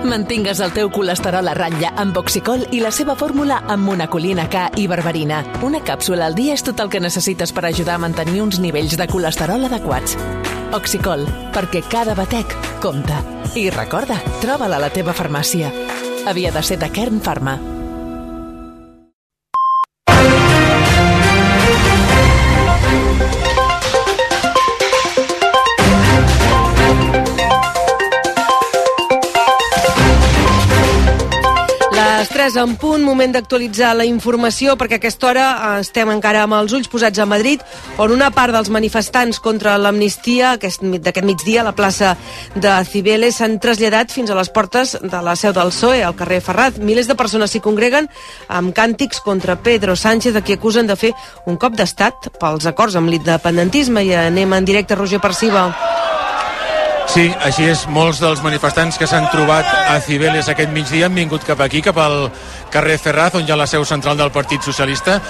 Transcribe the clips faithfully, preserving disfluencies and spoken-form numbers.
Mantingues el teu colesterol a ratlla amb Oxicol i la seva fórmula amb monacolina K i berberina. Una càpsula al dia és tot el que necessites per ajudar a mantenir uns nivells de colesterol adequats. Oxicol, perquè cada batec compta. I recorda, troba-la a la teva farmàcia. Havia de ser de Kern Pharma. Les tres en punt, moment d'actualitzar la informació, perquè a aquesta hora estem encara amb els ulls posats a Madrid, on una part dels manifestants contra l'amnistia aquest, d'aquest migdia a la plaça de Cibeles s'han traslladat fins a les portes de la seu del P S O E, al carrer Ferraz. Milers de persones s'hi congreguen amb càntics contra Pedro Sánchez, a qui acusen de fer un cop d'estat pels acords amb l'independentisme. I anem en directe, Roger Perciba. Sí, així és. Molts dels manifestants que s'han trobat a Cibeles aquest migdia han vingut cap aquí, cap al carrer Ferraz, on hi ha la seu central del Partit Socialista.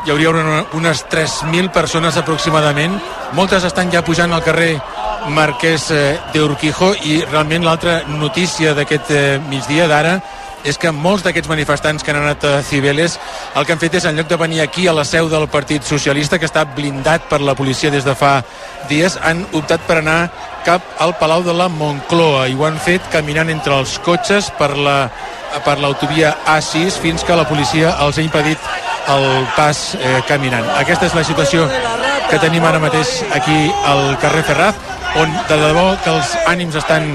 Hi hauria una, unes tres mil persones aproximadament. Moltes estan ja pujant al carrer Marquès de Urquijo, i realment l'altra notícia d'aquest migdia d'ara és que molts d'aquests manifestants que han anat a Cibeles el que han fet és, en lloc de venir aquí a la seu del Partit Socialista, que està blindat per la policia des de fa dies, han optat per anar cap al Palau de la Moncloa, i ho han fet caminant entre els cotxes per la per l'autovia A sis, fins que la policia els ha impedit el pas eh, caminant. Aquesta és la situació que tenim ara mateix aquí al carrer Ferraz, on de debò que els ànims estan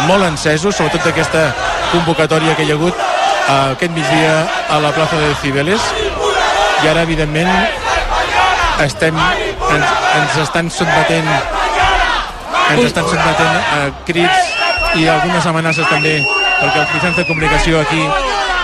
molt encesos, sobretot d'aquesta convocatòria que hi ha hagut eh, aquest migdia a la plaça de Cibeles. I ara, evidentment, estem, ens, ens estan sotmetent ens estan sotmetent a crits i algunes amenaces també, perquè els mitjans de comunicació aquí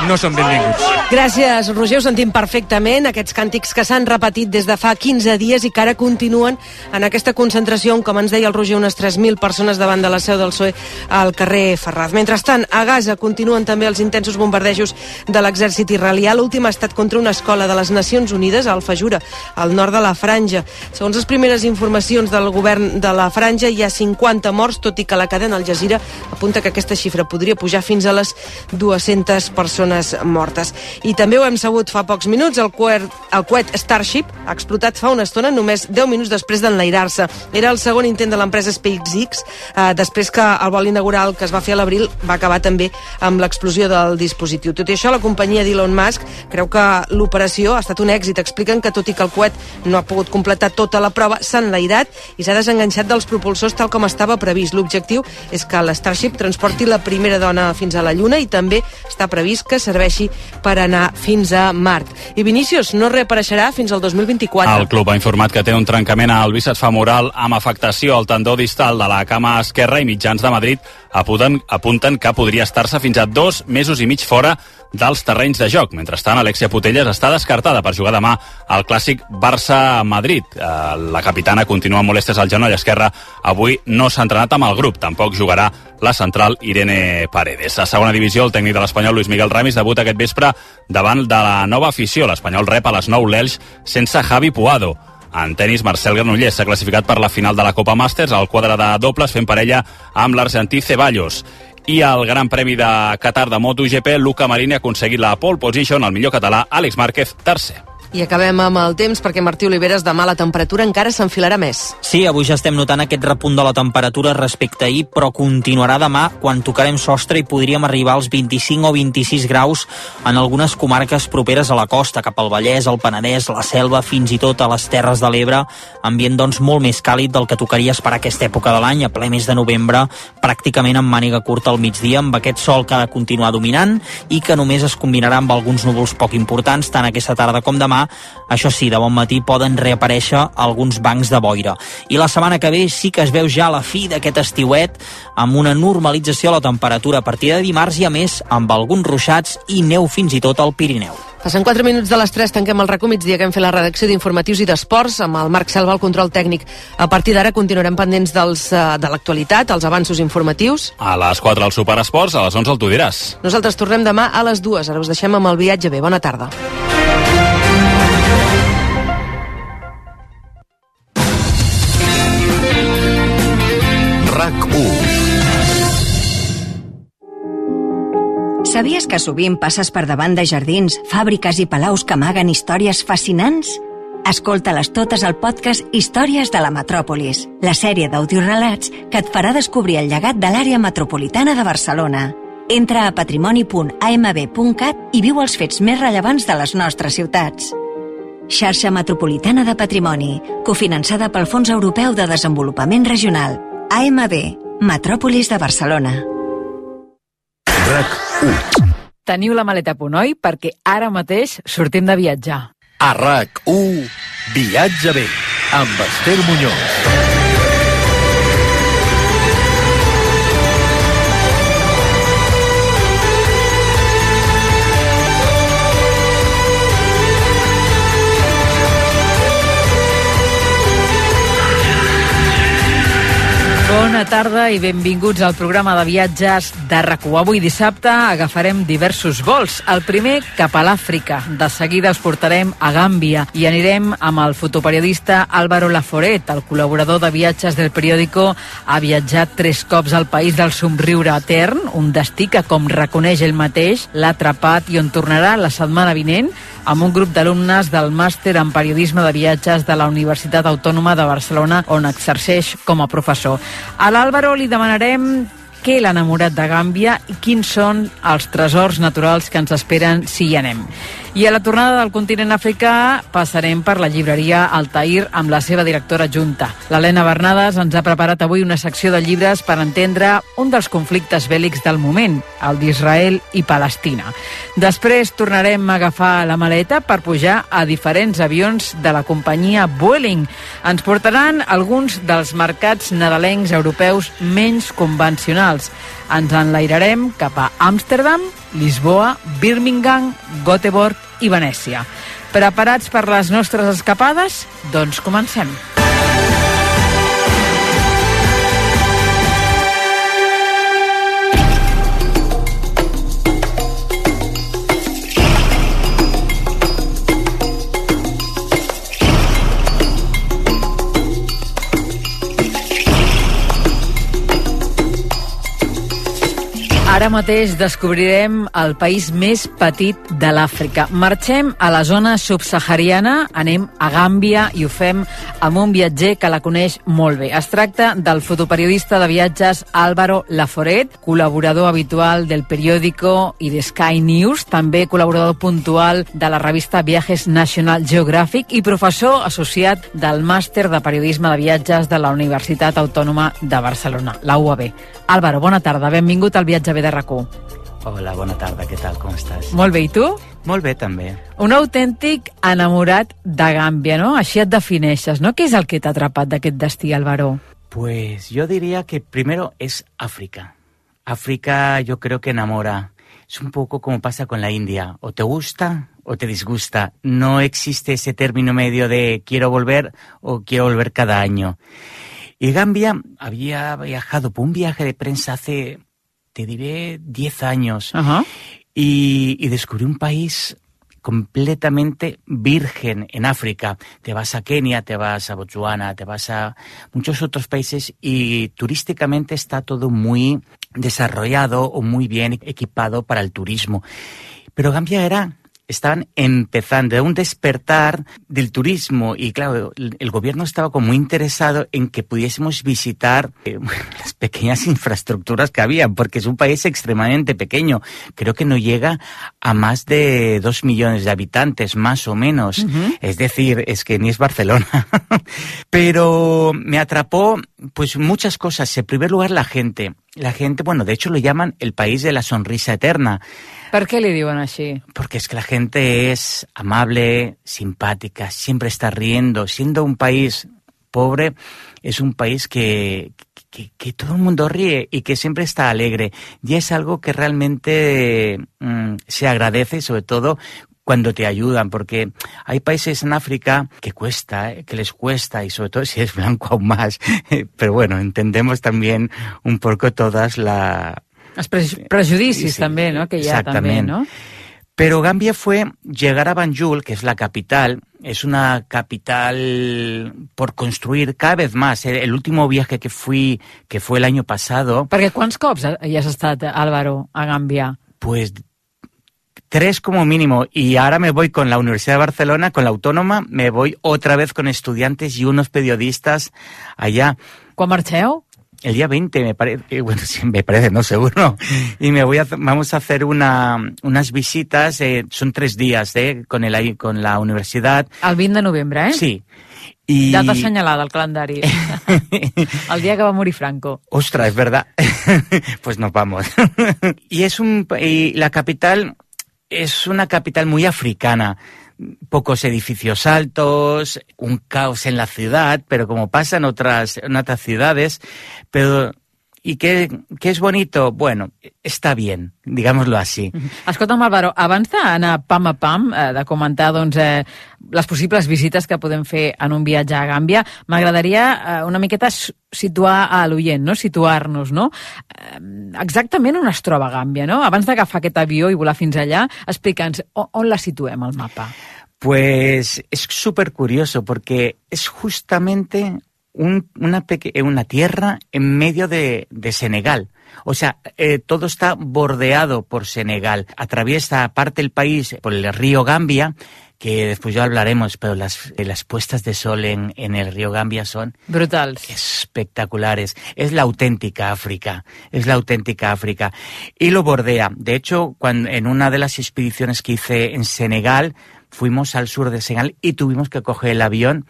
no són benvinguts. Gràcies, Roger, ho sentim perfectament, aquests càntics que s'han repetit des de fa quinze dies i que ara continuen en aquesta concentració on, com ens deia el Roger, unes tres mil persones davant de la seu del P S O E al carrer Ferraz. Mentrestant, a Gaza continuen també els intensos bombardejos de l'exèrcit israelià. L'últim ha estat contra una escola de les Nacions Unides, al Fajura, al nord de la Franja. Segons les primeres informacions del govern de la Franja, hi ha cinquanta morts, tot i que la cadena Al Jazeera apunta que aquesta xifra podria pujar fins a les dues-centes persones mortes. I també ho hem sabut fa pocs minuts, el coet, el coet Starship ha explotat fa una estona, només deu minuts després d'enlairar-se. Era el segon intent de l'empresa SpaceX, eh, després que el vol inaugural que es va fer a l'abril va acabar també amb l'explosió del dispositiu. Tot i això, la companyia d'Elon Musk creu que l'operació ha estat un èxit. Expliquen que, tot i que el coet no ha pogut completar tota la prova, s'ha enlairat i s'ha desenganxat dels propulsors tal com estava previst. L'objectiu és que l'Starship transporti la primera dona fins a la Lluna, i també està previst que serveixi per anar fins a Mart. I Vinícius no reapareixerà fins al dos mil vint-i-quatre. El club ha informat que té un trencament al bíceps femoral amb afectació al tendó distal de la cama esquerra, i mitjans de Madrid apunten, apunten que podria estar-se fins a dos mesos i mig fora dels terrenys de joc. Mentrestant, Alexia Putellas està descartada per jugar demà al clàssic Barça-Madrid. La capitana continua amb molèsties al genoll esquerre. Avui no s'ha entrenat amb el grup. Tampoc jugarà la central Irene Paredes. A segona divisió, el tècnic de l'Espanyol, Luis Miguel Ramis, debuta aquest vespre davant de la nova afició. L'Espanyol rep a les nou l'Elx sense Javi Puado. En tenis, Marcel Granollers s'ha classificat per la final de la Copa Masters al quadre de dobles, fent parella amb l'argentí Ceballos. I al Gran Premi de Qatar de MotoGP, Luca Marini ha aconseguit la pole position, el millor català, Àlex Márquez, tercer. I acabem amb el temps, perquè Martí Oliveres, demà la temperatura encara s'enfilarà més. Sí, avui ja estem notant aquest repunt de la temperatura respecte a ahir, però continuarà demà quan tocarem sostre i podríem arribar als vint-i-cinc o vint-i-sis graus en algunes comarques properes a la costa, cap al Vallès, el Penedès, la Selva, fins i tot a les Terres de l'Ebre. Ambient, doncs, molt més càlid del que tocaria esperar aquesta època de l'any, a ple mes de novembre, pràcticament amb màniga curta al migdia, amb aquest sol que ha de continuar dominant i que només es combinarà amb alguns núvols poc importants, tant aquesta tarda com demà. Això sí, de bon matí poden reaparèixer alguns bancs de boira. I la setmana que ve sí que es veu ja la fi d'aquest estiuet, amb una normalització a la temperatura a partir de dimarts, i a més amb alguns ruixats i neu fins i tot al Pirineu. Passen quatre minuts de les tres, tanquem el RACO migdia, que hem fet la redacció d'informatius i d'esports amb el Marc Selva al control tècnic. A partir d'ara continuarem pendents dels, de l'actualitat, els avanços informatius. A les quatre al Superesports, a les onze el Tu diràs. Nosaltres tornem demà a les dues. Ara us deixem amb el viatge bé. Bona tarda. RAC u. Sabies que sovint passes per davant de jardins, fàbriques i palaus que amaguen històries fascinants? Escolta-les totes al podcast Històries de la Metròpolis, la sèrie d'audiorelats que et farà descobrir el llegat de l'àrea metropolitana de Barcelona. Entra a patrimoni punt a m b punt cat i viu els fets més rellevants de les nostres ciutats. Xarxa Metropolitana de Patrimoni, cofinançada pel Fons Europeu de Desenvolupament Regional. A M B, Metròpolis de Barcelona. RAC u. Teniu la maleta a punt, oi? Perquè ara mateix sortim de viatjar. A RAC u, Viatge bé, amb Esther Muñoz. Bona tarda i benvinguts al programa de viatges de RAC u. Avui dissabte agafarem diversos vols. El primer cap a l'Àfrica. De seguida us portarem a Gàmbia i anirem amb el fotoperiodista Álvaro Laforet. El col·laborador de viatges del periòdico ha viatjat tres cops al país del somriure etern, un destí que, com reconeix ell mateix, l'ha atrapat i on tornarà la setmana vinent amb un grup d'alumnes del màster en periodisme de viatges de la Universitat Autònoma de Barcelona, on exerceix com a professor. A l'Álvaro li demanarem què l'ha enamorat de Gàmbia i quins són els tresors naturals que ens esperen si hi anem. I a la tornada del continent africà passarem per la llibreria Altair amb la seva directora adjunta. L'Helena Bernades ens ha preparat avui una secció de llibres per entendre un dels conflictes bèl·lics del moment, el d'Israel i Palestina. Després tornarem a agafar la maleta per pujar a diferents avions de la companyia Vueling. Ens portaran alguns dels mercats nadalencs europeus menys convencionals. Ens enlairarem cap a Amsterdam, Lisboa, Birmingham, Göteborg i Venècia. Preparats per les nostres escapades? Doncs comencem. Ara mateix descobrirem el país més petit de l'Àfrica. Marxem a la zona subsahariana, anem a Gàmbia i ho fem amb un viatger que la coneix molt bé. Es tracta del fotoperiodista de viatges Álvaro Laforet, col·laborador habitual del periòdico i de Sky News, també col·laborador puntual de la revista Viajes National Geographic i professor associat del màster de periodisme de viatges de la Universitat Autònoma de Barcelona, la U A B. Álvaro, bona tarda, benvingut al Viatge bé de RAC u. Hola, bona tarda, què tal, com estàs? Molt bé, i tu? Molt bé, també. Un autèntic enamorat de Gàmbia, ¿no? Així et defineixes, ¿no? Què és el que t'ha atrapat d'aquest destí, Álvaro? Pues yo diría que primero es África. África yo creo que enamora. Es un poco como pasa con la India. O te gusta o te disgusta. No existe ese término medio de quiero volver o quiero volver cada año. Y Gambia había viajado por un viaje de prensa hace, te diré, diez años. Uh-huh. y, y descubrí un país completamente virgen en África. Te vas a Kenia, te vas a Botswana, te vas a muchos otros países y turísticamente está todo muy desarrollado o muy bien equipado para el turismo. Pero Gambia era... estaban empezando a un despertar del turismo y claro, el gobierno estaba como muy interesado en que pudiésemos visitar eh, las pequeñas infraestructuras que había, porque es un país extremadamente pequeño. Creo que no llega a más de dos millones de habitantes, más o menos. Uh-huh. Es decir, es que ni es Barcelona. Pero me atrapó pues muchas cosas. En primer lugar, la gente. La gente, bueno, de hecho lo llaman el país de la sonrisa eterna. ¿Por qué le diuen així? Porque es que la gente es amable, simpática, siempre está riendo. Siendo un país pobre, es un país que, que, que todo el mundo ríe y que siempre está alegre. Y es algo que realmente mmm, se agradece, sobre todo cuando te ayudan, porque hay países en África que cuesta, ¿eh? que les cuesta, y sobre todo si es blanco aún más. Pero bueno, entendemos también un poco todas la... Els pre- prejudicis sí, també, no? Que hi ha també, no? Pero Gambia fue llegar a Banjul, que es la capital, es una capital por construir cada vez más. El último viaje que fui, que fue el año pasado... Perquè quants cops hi has estat, Álvaro, a Gàmbia? Pues Tres como mínimo, y ahora me voy con la Universidad de Barcelona, con la Autónoma, me voy otra vez con estudiantes y unos periodistas allá. ¿Quan marxeu? El día veinte, me parece, bueno, sí, me parece, no, seguro. Y me voy a, vamos a hacer una, unas visitas, eh, son tres días, eh, con, el, con la universidad. El vint de novembre, eh? Sí. Y... Data assenyalada al calendari. El día que va morir Franco. Ostras, es verdad. Pues nos vamos. Y es un, y la capital es una capital muy africana. Pocos edificios altos, un caos en la ciudad, pero como pasa en otras, en otras ciudades. Pero, ¿y qué, qué es bonito? Bueno, està bien, digámoslo así. Escolta'm, Álvaro, abans d'anar pam a pam, eh, de comentar doncs, eh, les possibles visites que podem fer en un viatge a Gàmbia, m'agradaria eh, una miqueta situar a l'oient, no? Situar-nos, no? Eh, exactament on es troba Gàmbia, no? Abans d'agafar aquest avió i volar fins allà, explica'ns on, on la situem al mapa. Pues es súper curioso porque es justamente un, una, peque- una tierra en medio de, de Senegal. O sea, eh, todo está bordeado por Senegal. Atraviesa parte del país por el río Gambia, que después ya hablaremos, pero las, las puestas de sol en, en el río Gambia son brutales, espectaculares. Es la auténtica África, es la auténtica África. Y lo bordea. De hecho, cuando, en una de las expediciones que hice en Senegal, fuimos al sur de Senegal y tuvimos que coger el avión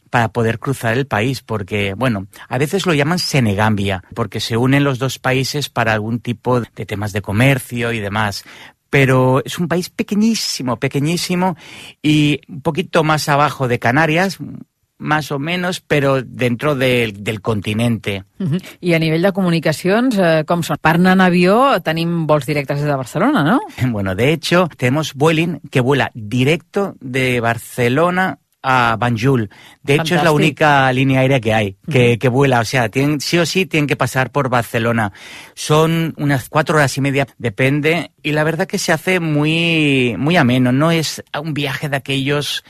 para poder cruzar el país, porque, bueno, a veces lo llaman Senegambia, porque se unen los dos países para algún tipo de temas de comercio y demás. Pero es un país pequeñísimo, pequeñísimo, y un poquito más abajo de Canarias, más o menos, pero dentro de, del continente. Uh-huh. I a nivell de comunicacions, eh, com són? Per anar en avió tenim vols directes des de Barcelona, ¿no? Bueno, de hecho, tenemos Vueling que vuela directo de Barcelona a Banjul. De hecho, Fantástico. Es la única línea aérea que hay, que, uh-huh. que vuela. O sea, tienen, sí o sí tienen que pasar por Barcelona. Son unas cuatro horas y media, depende. Y la verdad que se hace muy, muy ameno. No es un viaje de aquellos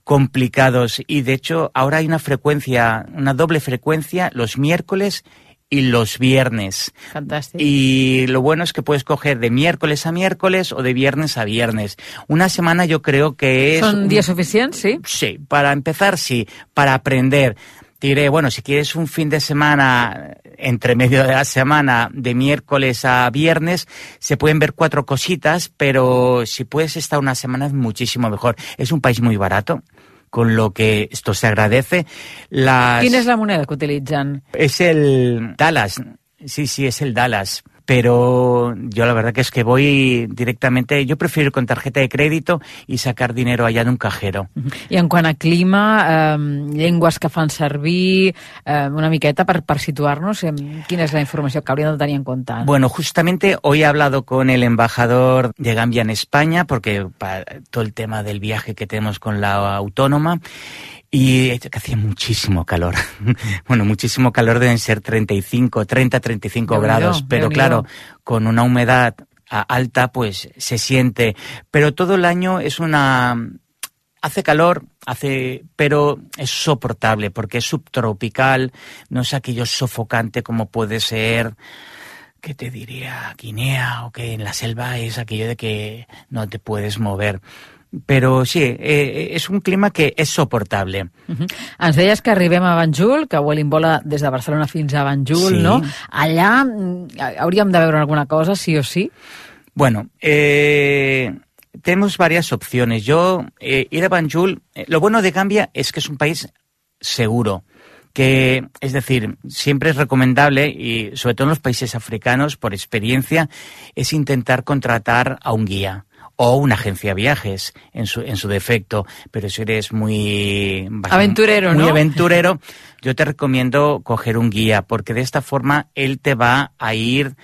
complicados. Y de hecho, ahora hay una frecuencia, una doble frecuencia, los miércoles y los viernes. Fantástico. Y lo bueno es que puedes coger de miércoles a miércoles o de viernes a viernes. Una semana yo creo que es... ¿Son días suficientes, sí? Sí, para empezar sí, para aprender. Te diré, bueno, si quieres un fin de semana, entre medio de la semana, de miércoles a viernes, se pueden ver cuatro cositas, pero si puedes estar una semana es muchísimo mejor. Es un país muy barato, con lo que esto se agradece. Las... ¿Quién es la moneda que utilizan? Es el Dallas, sí, sí, es el Dallas. Pero yo la verdad que es que voy directamente, yo prefiero ir con tarjeta de crédito y sacar dinero allá de un cajero. I en quant a clima, eh, llengües que fan servir, eh, una miqueta per, per situar-nos, eh, quina és la informació que hauríem de tenir en compte? Bueno, justamente hoy he hablado con el embajador de Gambia en España, porque para todo el tema del viaje que tenemos con la Autónoma, y que hacía muchísimo calor. Bueno, muchísimo calor, deben ser treinta y cinco, treinta, treinta y cinco grados, pero claro, con una humedad alta pues se siente. Pero todo el año es una... Hace calor, hace, pero es soportable porque es subtropical, no es aquello sofocante como puede ser... ¿Qué te diría? Guinea, o que en la selva es aquello de que no te puedes mover. Però sí, eh, és un clima que és soportable. Uh-huh. Ens deies que arribem a Banjul, que Vueling vola des de Barcelona fins a Banjul, sí. No? Allà hauríem de veure alguna cosa, sí o sí? Bueno, eh, tenemos varias opciones. Yo, eh, ir a Banjul, eh, lo bueno de Gambia es que es un país seguro. Que, es decir, siempre es recomendable, y sobre todo en los países africanos, por experiencia, es intentar contratar a un guía o una agencia de viajes en su, en su defecto, pero si eres muy aventurero, muy ¿no? aventurero, yo te recomiendo coger un guía, porque de esta forma él te va a ir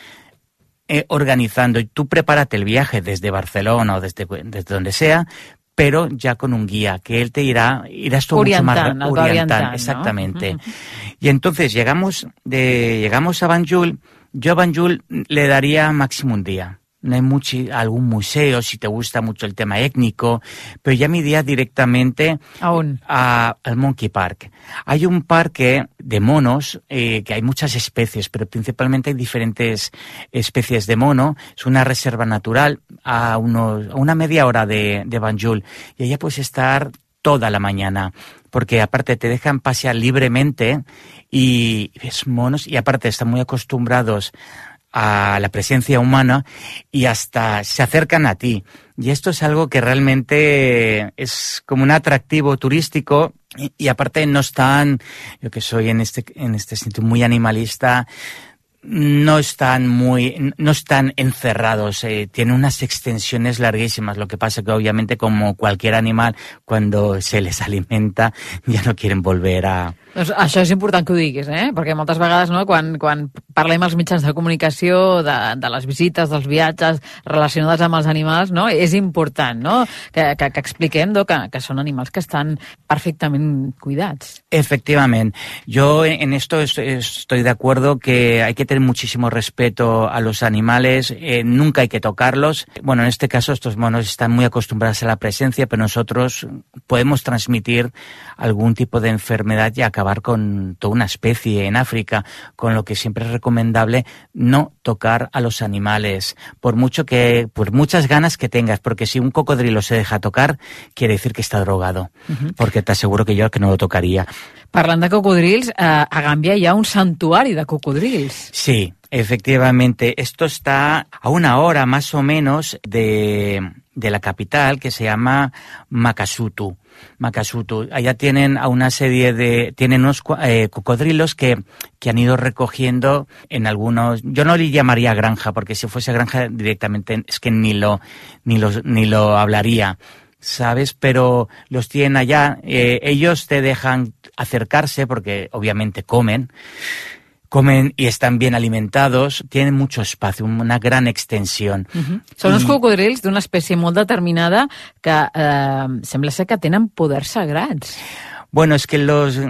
eh, organizando, y tú prepárate el viaje desde Barcelona o desde, desde donde sea, pero ya con un guía, que él te irá, irás tú mucho más orientando, orientando, exactamente. ¿No? Y entonces llegamos de llegamos a Banjul. Yo a Banjul le daría máximo un día. no hay mucho, algún museo si te gusta mucho el tema étnico, pero ya me iría directamente ¿Aún? a, al Monkey Park. Hay un parque de monos, eh, que hay muchas especies, pero principalmente hay diferentes especies de mono. Es una reserva natural a, unos, a una media hora de, de Banjul, y allá puedes estar toda la mañana, porque aparte te dejan pasear libremente y ves monos, y aparte están muy acostumbrados a la presencia humana y hasta se acercan a ti. Y esto es algo que realmente es como un atractivo turístico, y, y aparte no están, yo que soy en este, en este sentido muy animalista, no están muy, no están encerrados, eh, tienen unas extensiones larguísimas. Lo que pasa que obviamente, como cualquier animal, cuando se les alimenta ja no quieren volver a... Doncs això és important que ho diguis, eh? Perquè moltes vegades, no, quan, quan parlem als mitjans de comunicació de, de les visites, dels viatges relacionades amb els animals, no, és important, no, que, que, que expliquem, no, que, que són animals que estan perfectament cuidats. Efectivamente. Yo en esto estoy de acuerdo que hay que tener muchísimo respeto a los animales, eh, nunca hay que tocarlos. Bueno, en este caso estos monos están muy acostumbrados a la presencia, pero nosotros podemos transmitir algún tipo de enfermedad y acabar con toda una especie en África, con lo que siempre es recomendable no tocar a los animales, por mucho que, por muchas ganas que tengas, porque si un cocodrilo se deja tocar, quiere decir que está drogado, uh-huh. Porque te aseguro que yo que no lo tocaría. Parlant de cocodrils, eh, a Gàmbia hi ha un santuari de cocodrils. Sí, efectivamente. Esto está a una hora más o menos de, de la capital, que se llama Makasutu. Makasutu. Allá tienen a una serie de, tienen unos eh, cocodrilos que, que han ido recogiendo en algunos, yo no le llamaría granja, porque si fuese granja directamente es que ni lo, ni los, ni lo hablaría, ¿sabes? Pero los tienen allá, eh, ellos te dejan acercarse porque obviamente comen, comen y están bien alimentados, tienen mucho espacio, una gran extensión. Uh-huh. Són uns cocodrils d'una espècie molt determinada que eh, sembla ser que tenen poders sagrats. Bueno, es que los...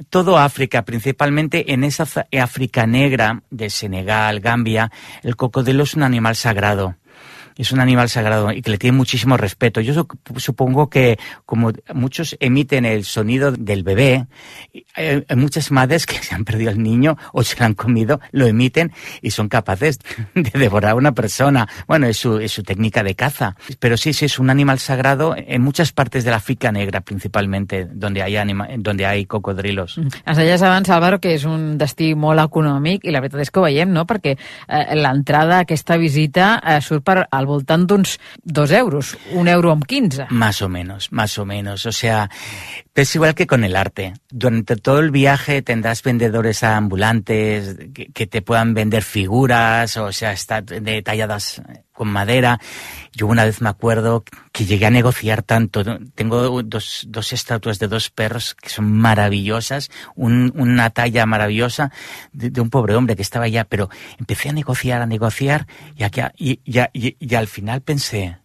Todo África, principalmente en esa África negra de Senegal, Gambia, el cocodrilo es un animal sagrado. Es un animal sagrado y que le tiene muchísimo respeto. Yo supongo que como muchos emiten el sonido del bebé, hay muchas madres que se han perdido al niño o se lo han comido, lo emiten y son capaces de devorar a una persona. Bueno, es su, es su técnica de caza. Pero sí, sí, es un animal sagrado en muchas partes de la África negra, principalmente, donde hay, anima, donde hay cocodrilos. Ens deies abans, Álvaro, que és un destí molt econòmic i la veritat és que ho veiem, no? Perquè eh, l'entrada a aquesta visita eh, surt per al voltant d'uns dos euros, un euro amb quinze. Más o menos, más o menos. O sea, es igual que con el arte. Durante todo el viaje tendrás vendedores ambulantes que, que te puedan vender figuras, o sea, están detalladas con madera. Yo una vez me acuerdo que llegué a negociar tanto. Tengo dos, dos estatuas de dos perros que son maravillosas, un, una talla maravillosa de, de un pobre hombre que estaba allá, pero empecé a negociar, a negociar y, aquí, y, y, y, y al final pensé,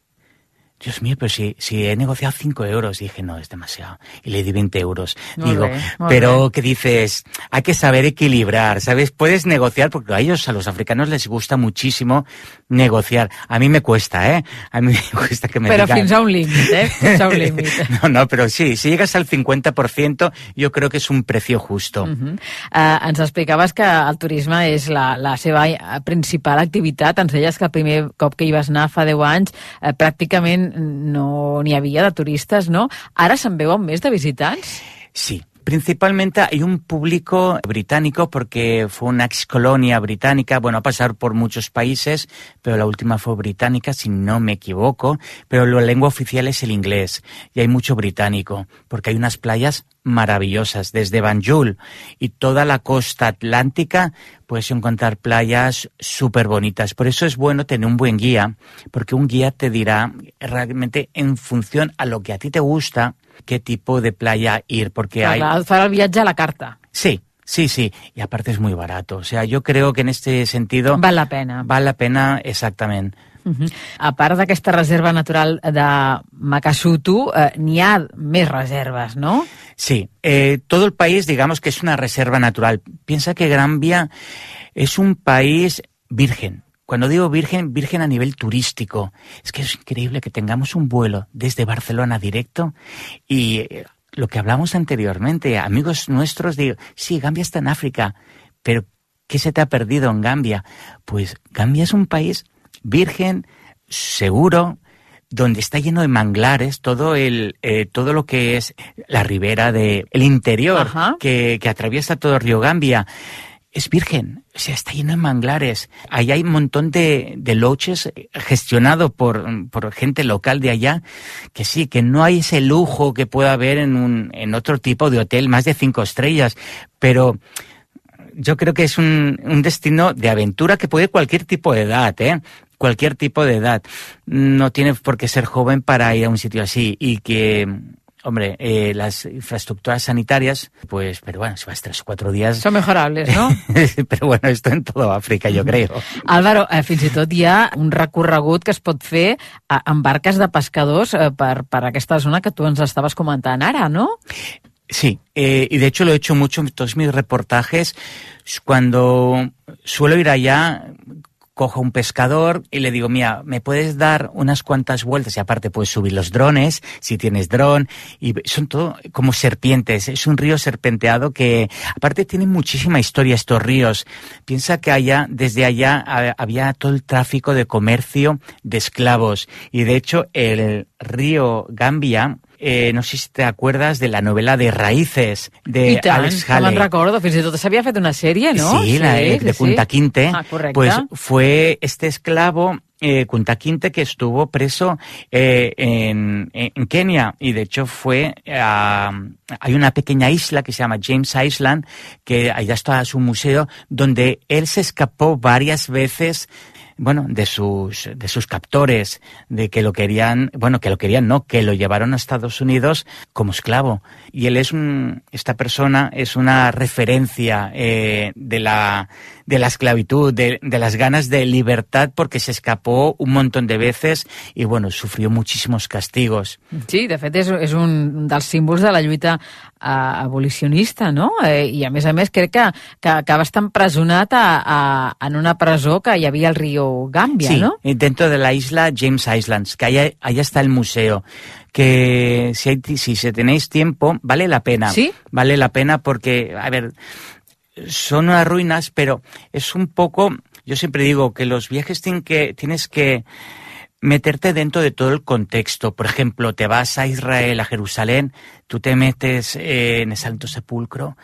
Dios mío, pero si, si he negociado cinco euros, dije, no, es demasiado. Y le di veinte euros. Muy Digo, bien, pero bien. ¿Qué dices? Hay que saber equilibrar, ¿sabes? Puedes negociar, porque a ellos, a los africanos, les gusta muchísimo negociar. A mí me cuesta, ¿eh? A mí me cuesta que me Pero digan... fins a un límit, ¿eh? Fins a un límit. No, no, pero sí, si llegas al cincuenta por ciento, yo creo que es un precio justo. Uh-huh. uh, ens explicaves que el turisme és la, la seva principal activitat. Ens deies que el primer cop que hi vas anar fa deu anys, uh, pràcticament no n'hi havia de turistes, ¿no? Ara se'n veuen més de visitants? Sí. Principalmente hay un público británico porque fue una ex colonia británica, bueno, ha pasado por muchos países, pero la última fue británica, si no me equivoco, pero la lengua oficial es el inglés y hay mucho británico porque hay unas playas maravillosas, desde Banjul y toda la costa atlántica puedes encontrar playas súper bonitas. Por eso es bueno tener un buen guía, porque un guía te dirá realmente en función a lo que a ti te gusta, qué tipo de playa ir, porque Clar, hay... Farà el viatge a la carta. Sí, sí, sí, y aparte es muy barato. O sea, yo creo que en este sentido... Val la pena. Val la pena, exactament. Uh-huh. A part d'aquesta reserva natural de Makasutu, eh, n'hi ha més reserves, ¿no? Sí, eh, todo el país, digamos que es una reserva natural. Piensa que Gambia es un país virgen. Cuando digo virgen, virgen a nivel turístico. Es que es increíble que tengamos un vuelo desde Barcelona directo y lo que hablamos anteriormente, amigos nuestros, digo, sí, Gambia está en África, pero ¿qué se te ha perdido en Gambia? Pues Gambia es un país virgen, seguro, donde está lleno de manglares, todo el eh, todo lo que es la ribera de el interior que, que atraviesa todo el río Gambia. Es virgen, o sea, está lleno de manglares. Ahí hay un montón de, de lodges gestionados por, por gente local de allá, que sí, que no hay ese lujo que pueda haber en, un, en otro tipo de hotel, más de cinco estrellas, pero yo creo que es un, un destino de aventura que puede cualquier tipo de edad, ¿eh? Cualquier tipo de edad. No tiene por qué ser joven para ir a un sitio así y que... Hombre, eh, las infraestructuras sanitarias, pues, pero bueno, si vas tres o cuatro días... Son mejorables, no? Però bueno, esto en toda Àfrica, jo creo. Álvaro, eh, fins i tot hi ha un recorregut que es pot fer eh, amb barques de pescadors eh, per, per aquesta zona que tu ens estaves comentant ara, no? Sí, eh, y de hecho lo he hecho mucho en todos mis reportajes. Cuando suelo ir allá... cojo un pescador y le digo, mira, ¿me puedes dar unas cuantas vueltas? Y aparte puedes subir los drones, si tienes dron, y son todo como serpientes, es un río serpenteado que, aparte tiene muchísima historia estos ríos. Piensa que allá, desde allá, había todo el tráfico de comercio de esclavos, y de hecho el río Gambia... Eh, no sé si te acuerdas de la novela de Raíces de tant, Alex Haley. I tant, recordo, fins i tot s'havia fet una sèrie, ¿no? Sí, la de, sí, de Kunta sí. Kinte. Ah, correcte. Pues fue este esclavo eh, Kunta Kinte que estuvo preso eh, en, en Kenia, y de hecho fue a, hay una pequeña isla que se llama James Island, que allá está su museo, donde él se escapó varias veces, bueno, de sus de sus captores, de que lo querían, bueno, que lo querían no, que lo llevaron a Estados Unidos como esclavo. Y él es un, esta persona es una referencia eh, de la de la esclavitud, de, de las ganas de libertad, porque se escapó un montón de veces i, bueno, sufrió muchísimos castigos. Sí, de fet, és, és un dels símbols de la lluita eh, abolicionista, no? Eh, I, a més a més, crec que, que acaba estant empresonat a, a, en una presó que hi havia al riu Gambia, sí, ¿no? Sí, dentro de la isla James Islands, que allá, allá está el museo, que si, hay, si se tenéis tiempo, vale la pena. ¿Sí? Vale la pena porque, a ver, son unas ruinas, pero es un poco, yo siempre digo que los viajes tienen que, tienes que meterte dentro de todo el contexto. Por ejemplo, te vas a Israel, a Jerusalén, tú te metes eh, en el Santo Sepulcro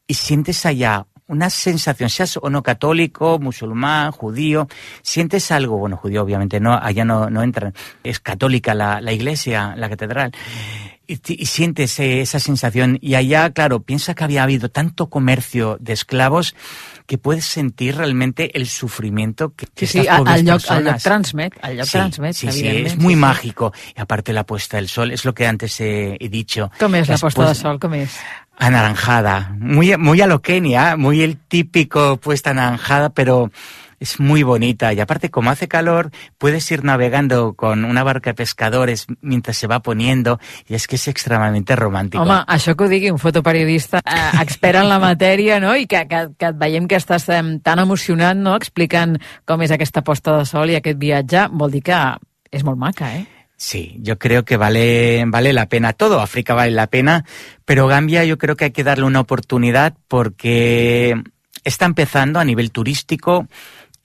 y sientes allá una sensación, seas o no católico, musulmán, judío, sientes algo, bueno, judío obviamente no, allá no, no entran, es católica la, la iglesia, la catedral, y, y sientes eh, esa sensación, y allá, claro, piensa que había habido tanto comercio de esclavos que puedes sentir realmente el sufrimiento que, que sí, estas sí, pobres al lloc, personas... al lloc transmet, al lloc sí, transmet, sí, sí, es muy sí, mágico, sí. Y aparte la puesta del sol, es lo que antes he, he dicho. Com és la puesta pues, del sol, com és? Anaranjada, muy, muy a lo Kenia, muy el típico puesta anaranjada, pero es muy bonita. Y aparte, como hace calor, puedes ir navegando con una barca de pescadores mientras se va poniendo, y es que es extremadamente romàntico. Home, això que ho digui un fotoperiodista eh, expert en la matèria, no? I que, que, que et veiem que estàs eh, tan emocionat, no?, explicant com és aquesta posta de sol i aquest viatge, vol dir que és molt maca, eh? Sí, yo creo que vale, vale la pena. Todo África vale la pena, pero Gambia yo creo que hay que darle una oportunidad porque está empezando a nivel turístico.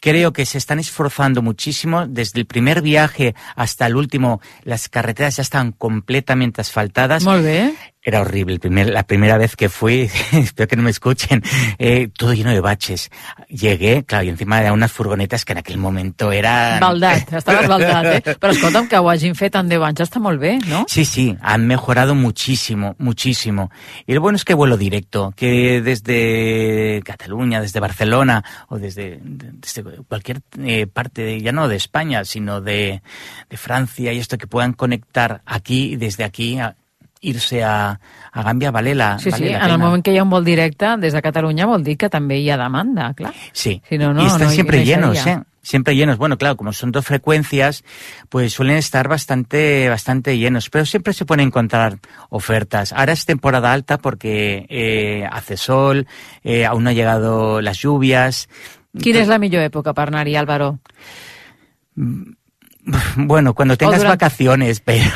Creo que se están esforzando muchísimo. Desde el primer viaje hasta el último, las carreteras ya están completamente asfaltadas. Molt bé. Era horrible. El primer, la primera vez que fui, espero que no me escuchen, eh, todo lleno de baches. Llegué, claro, y encima de unas furgonetas que en aquel momento eran... Baldat, estaves baldat, eh? Però escolta'm, que ho hagin fet en deu anys està molt bé, ¿no? Sí, sí, han mejorado muchísimo, muchísimo. Y lo bueno es que vuelo directo, que desde Cataluña, desde Barcelona, o desde, desde cualquier eh, parte, de, ya no de España, sino de, de Francia, y esto, que puedan conectar aquí, y desde aquí... A, irse a, a Gàmbia vale la, sí, vale sí, la en pena. el moment que hi ha un vol directe des de Catalunya vol dir que també hi ha demanda, clar. Sí, si no, no, y están no, siempre no llenos, ¿eh? Siempre llenos. Bueno, claro, como son dos frecuencias, pues suelen estar bastante, bastante llenos, pero siempre se pueden encontrar ofertas. Ahora es temporada alta porque eh, hace sol, eh, aún no han llegado las lluvias, Quina és la millor època per anar-hi, Álvaro? Bueno, cuando tengas durante... vacaciones, pero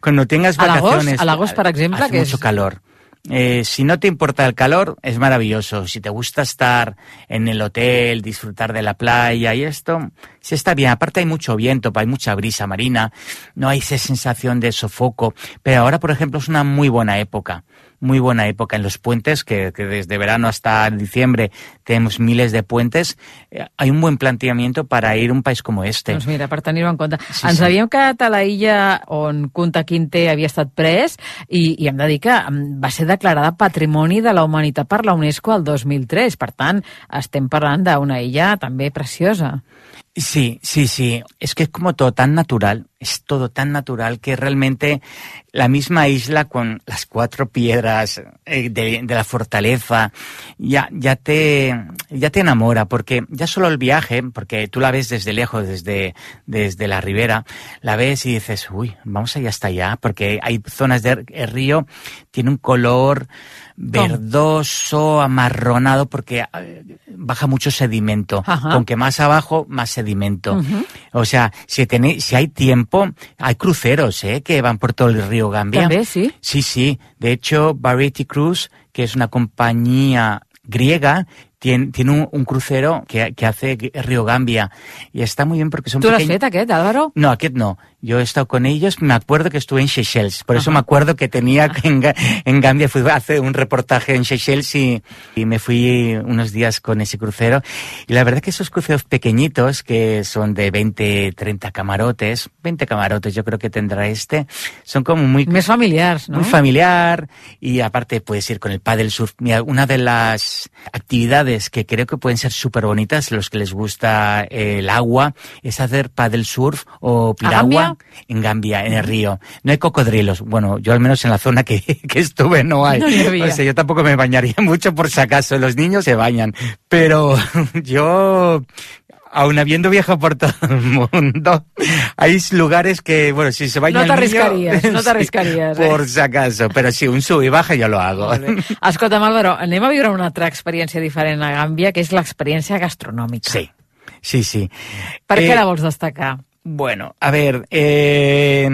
cuando tengas vacaciones... ¿A l'agost, per exemple? Hace que mucho és... calor. Eh, si no te importa el calor, es maravilloso. Si te gusta estar en el hotel, disfrutar de la playa y esto, se está bien. Aparte hay mucho viento, hay mucha brisa marina, no hay esa sensación de sofoco. Pero ahora, por ejemplo, es una muy buena época. Muy buena época en los puentes, que, que desde verano hasta diciembre tenemos miles de puentes. Eh, hay un buen planteamiento para ir a un país como este. Doncs mira, per tenir-ho en compte. Sí, Ens sí. havíem quedat a la illa on Kunta Kinte havia estat pres i, i hem de dir que va ser declarada Patrimoni de la Humanitat per la UNESCO el dos mil tres. Per tant, estem parlant d'una illa també preciosa. Sí, sí, sí. Es que es como todo tan natural, es todo tan natural que realmente la misma isla con las cuatro piedras eh, de, de la fortaleza ya, ya, te, ya te enamora, porque ya solo el viaje, porque tú la ves desde lejos, desde, desde la ribera, la ves y dices, uy, vamos allá hasta allá, porque hay zonas del río, tiene un color verdoso, amarronado, porque baja mucho sedimento. Ajá. Con que más abajo, más sedimento. Uh-huh. O sea, si, tenéis, si hay tiempo, hay cruceros, ¿eh? Que van por todo el río Gambia. ¿También, sí? Sí, sí. De hecho, Variety Cruise, que es una compañía griega, tiene, tiene un, un crucero que, que hace Río Gambia. Y está muy bien porque son ¿Tú pequeños... l'has fet, aquest, Álvaro? No, aquest no. Yo he estado con ellos, me acuerdo que estuve en Seychelles, por eso Ajá. me acuerdo que tenía que en, en Gambia, fui a hacer un reportaje en Seychelles y, y me fui unos días con ese crucero. Y la verdad que esos cruceros pequeñitos, que son de veinte, treinta camarotes, veinte camarotes yo creo que tendrá este, son como muy... Més familiars, no? Muy familiar, y aparte puedes ir con el paddle surf. Mira, una de las actividades que creo que pueden ser súper bonitas, los que les gusta el agua, es hacer paddle surf o piragua en Gambia, en el río. No hay cocodrilos. Bueno, yo al menos en la zona que, que estuve no hay. No había. O sea, yo tampoco me bañaría mucho por si acaso. Los niños se bañan. Pero yo... Aún habiendo viajado por todo el mundo, hay lugares que, bueno, si se baña no el niño... t'arriscaries, no t'arriscaries. Sí, eh? por si acaso, però sí, un sub i baja jo lo hago. Escolta'm, Álvaro, anem a viure una altra experiència diferent a Gàmbia, que és l'experiència gastronòmica. Sí, sí, sí. Per eh, què la vols destacar? Bueno, a ver, eh,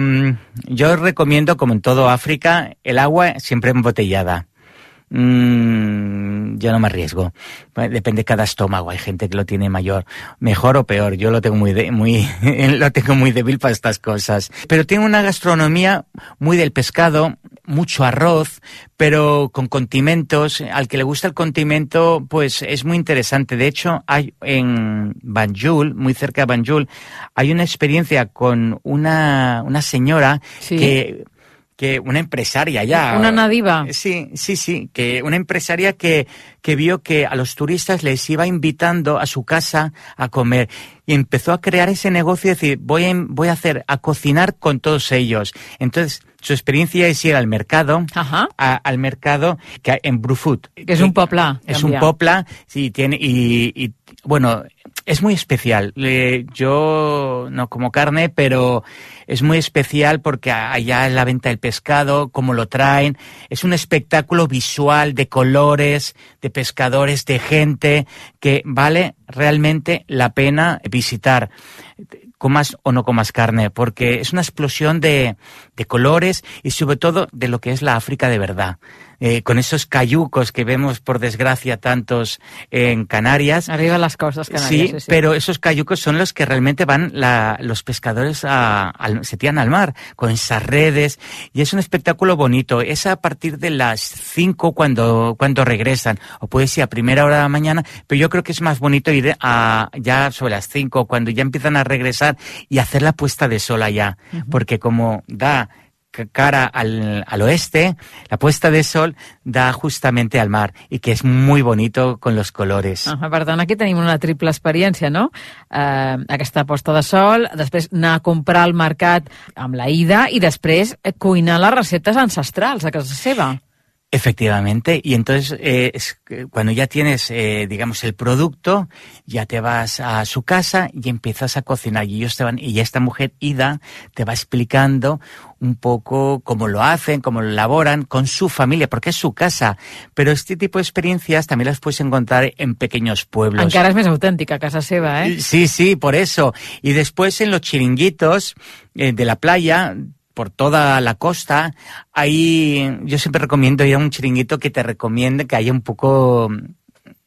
yo recomiendo, como en todo África, el agua siempre embotellada. Mm, yo no me arriesgo. Depende de cada estómago. Hay gente que lo tiene mayor, mejor o peor. Yo lo tengo muy, de, muy, lo tengo muy débil para estas cosas. Pero tiene una gastronomía muy del pescado, mucho arroz, pero con condimentos. Al que le gusta el condimento, pues es muy interesante. De hecho, hay en Banjul, muy cerca de Banjul, hay una experiencia con una, una señora sí. que que una empresaria ya... Una nadiva. Sí, sí, sí, que una empresaria que, que vio que a los turistas les iba invitando a su casa a comer y empezó a crear ese negocio y decir, voy a, voy a hacer, a cocinar con todos ellos. Entonces, su experiencia es ir al mercado, Ajá. a, al mercado que en Brufut. Que es un popla. Es Gambia. un popla, sí, tiene, y, y bueno, es muy especial. Le, yo no como carne, pero es muy especial porque allá en la venta del pescado, cómo lo traen, es un espectáculo visual de colores, de pescadores, de gente, que vale realmente la pena visitar. Comas o no comas carne, porque es una explosión de, de colores y sobre todo de lo que es la África de verdad. Eh, con esos cayucos que vemos, por desgracia, tantos en Canarias. Arriba las costas Canarias. Sí, sí, sí. pero esos cayucos son los que realmente van la, los pescadores a, a, se tiran al mar con esas redes y es un espectáculo bonito. Es a partir de las cinco cuando, cuando regresan, o puede ser a primera hora de la mañana, pero yo creo que es más bonito ir a, ya sobre las cinco, cuando ya empiezan a regresar y hacer la puesta de sol allá, uh-huh. porque como da cara al, al oeste, la puesta de sol da justamente al mar i que és muy bonito con los colores. Uh, per tant, aquí tenim una triple experiència, no? Uh, aquesta posta de sol, després anar a comprar al mercat amb la ida i després cuinar les receptes ancestrals a casa seva. Efectivamente, y entonces eh, es, cuando ya tienes, eh, digamos, el producto, ya te vas a su casa y empiezas a cocinar. Y ellos te van, y esta mujer, Ida, te va explicando un poco cómo lo hacen, cómo lo elaboran con su familia, porque es su casa. Pero este tipo de experiencias también las puedes encontrar en pequeños pueblos. Encara és més autèntica, casa seva, eh? Sí, sí, por eso. Y después en los chiringuitos eh, de la playa, por toda la costa, ahí yo siempre recomiendo ir a un chiringuito que te recomiende que haya un poco...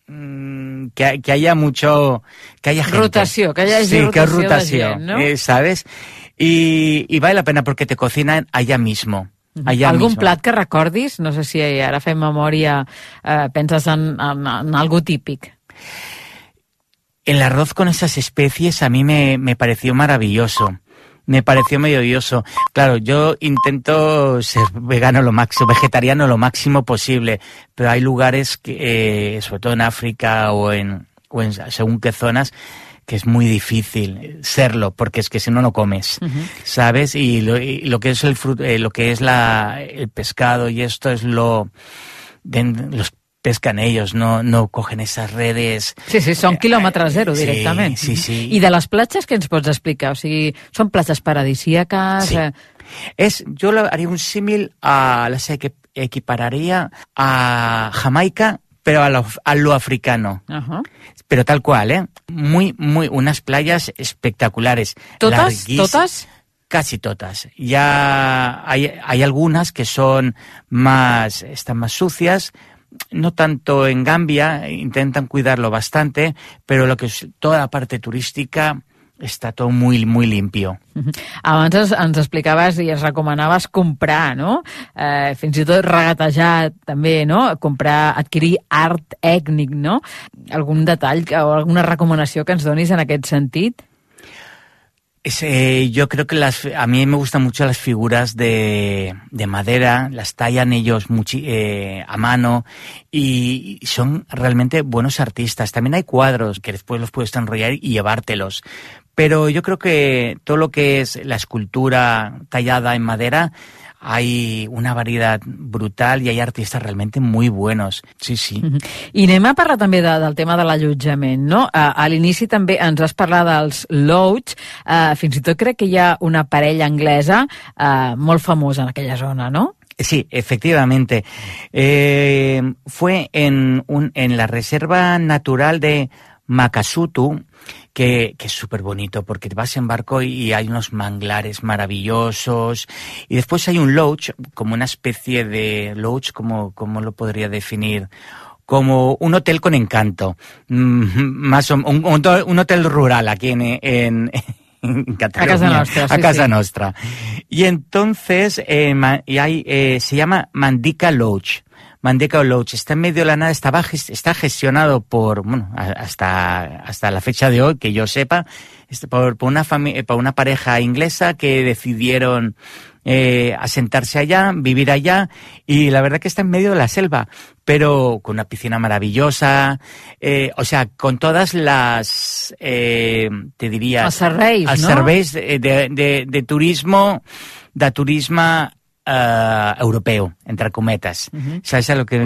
Mmm, que, que haya mucho... que haya gente. Rotació, que haya sí, rotació, que rotació de gent, no? eh, ¿sabes? Y, y vale la pena porque te cocinan allá mismo. Allà Algun mismo. plat que recordis? No sé si ara fem memòria, eh, penses en, en, en algo típic. El arroz con esas especies a mí me, me pareció maravilloso. Me pareció maravilloso. Claro, yo intento ser vegano lo máximo, vegetariano lo máximo posible, pero hay lugares, que, eh, sobre todo en África o en, o en según qué zonas, que es muy difícil serlo, porque es que si no, no comes, uh-huh. ¿sabes? Y lo, y lo que es el fruto, eh, lo que es la, el pescado y esto es lo... De, los pescan ellos, no, no cogen esas redes... Sí, sí, són quilòmetre zero directament. Sí, sí, sí. I de les platges, què ens pots explicar? O sigui, són platges paradisíaques... Sí. Es, yo lo haría un símil a... las equipararía a Jamaica, pero a lo, a lo africano. Uh-huh. Pero tal cual, ¿eh? Muy, muy... Unas playas espectaculares. ¿Totas? ¿Totas? Casi todas. Ya hay, hay algunas que son más... están más sucias. No tanto en Gambia, intentan cuidarlo bastante, pero lo que es toda la parte turística està tot muy, muy limpio. Uh-huh. Abans ens, ens explicaves i ens recomanaves comprar, no? Eh, fins i tot regatejar també, no? Comprar, adquirir art ètnic, no? Algun detall o alguna recomanació que ens donis en aquest sentit? Es, eh, yo creo que las, a mí me gustan mucho las figuras de, de madera, las tallan ellos muchi, eh, a mano y son realmente buenos artistas. También hay cuadros que después los puedes enrollar y llevártelos. Pero yo creo que todo lo que es la escultura tallada en madera, hay una variedad brutal i hi ha artistes realment muy buenos. Sí, sí. Uh-huh. I anem a parlar també de, del tema de l'allotjament, no? Uh, a l'inici també ens has parlat dels lodge, uh, fins i tot crec que hi ha una parella anglesa uh, molt famosa en aquella zona, no? Sí, efectivamente. Eh, fue en, un, en la Reserva Natural de Makasutu, que, que es súper bonito porque te vas en barco y hay unos manglares maravillosos y después hay un lodge, como una especie de lodge, como, como lo podría definir, como un hotel con encanto, mm, más o, un, un, un hotel rural aquí en, en, en Cataluña, a casa nostra, sí, a casa sí. nostra. Y entonces eh, y hay, eh, se llama Mandika Lodge. Mandika Lodge está en medio de la nada, estaba, está gestionado por, bueno, hasta, hasta la fecha de hoy, que yo sepa, por, por, una, fami- por una pareja inglesa que decidieron eh, asentarse allá, vivir allá, y la verdad que está en medio de la selva, pero con una piscina maravillosa, eh, o sea, con todas las, eh, te diría... Els serveis, els no? serveis de, de, de, de turismo, de turisme Uh, europeu, entre cometes. Uh-huh. Saps a lo que,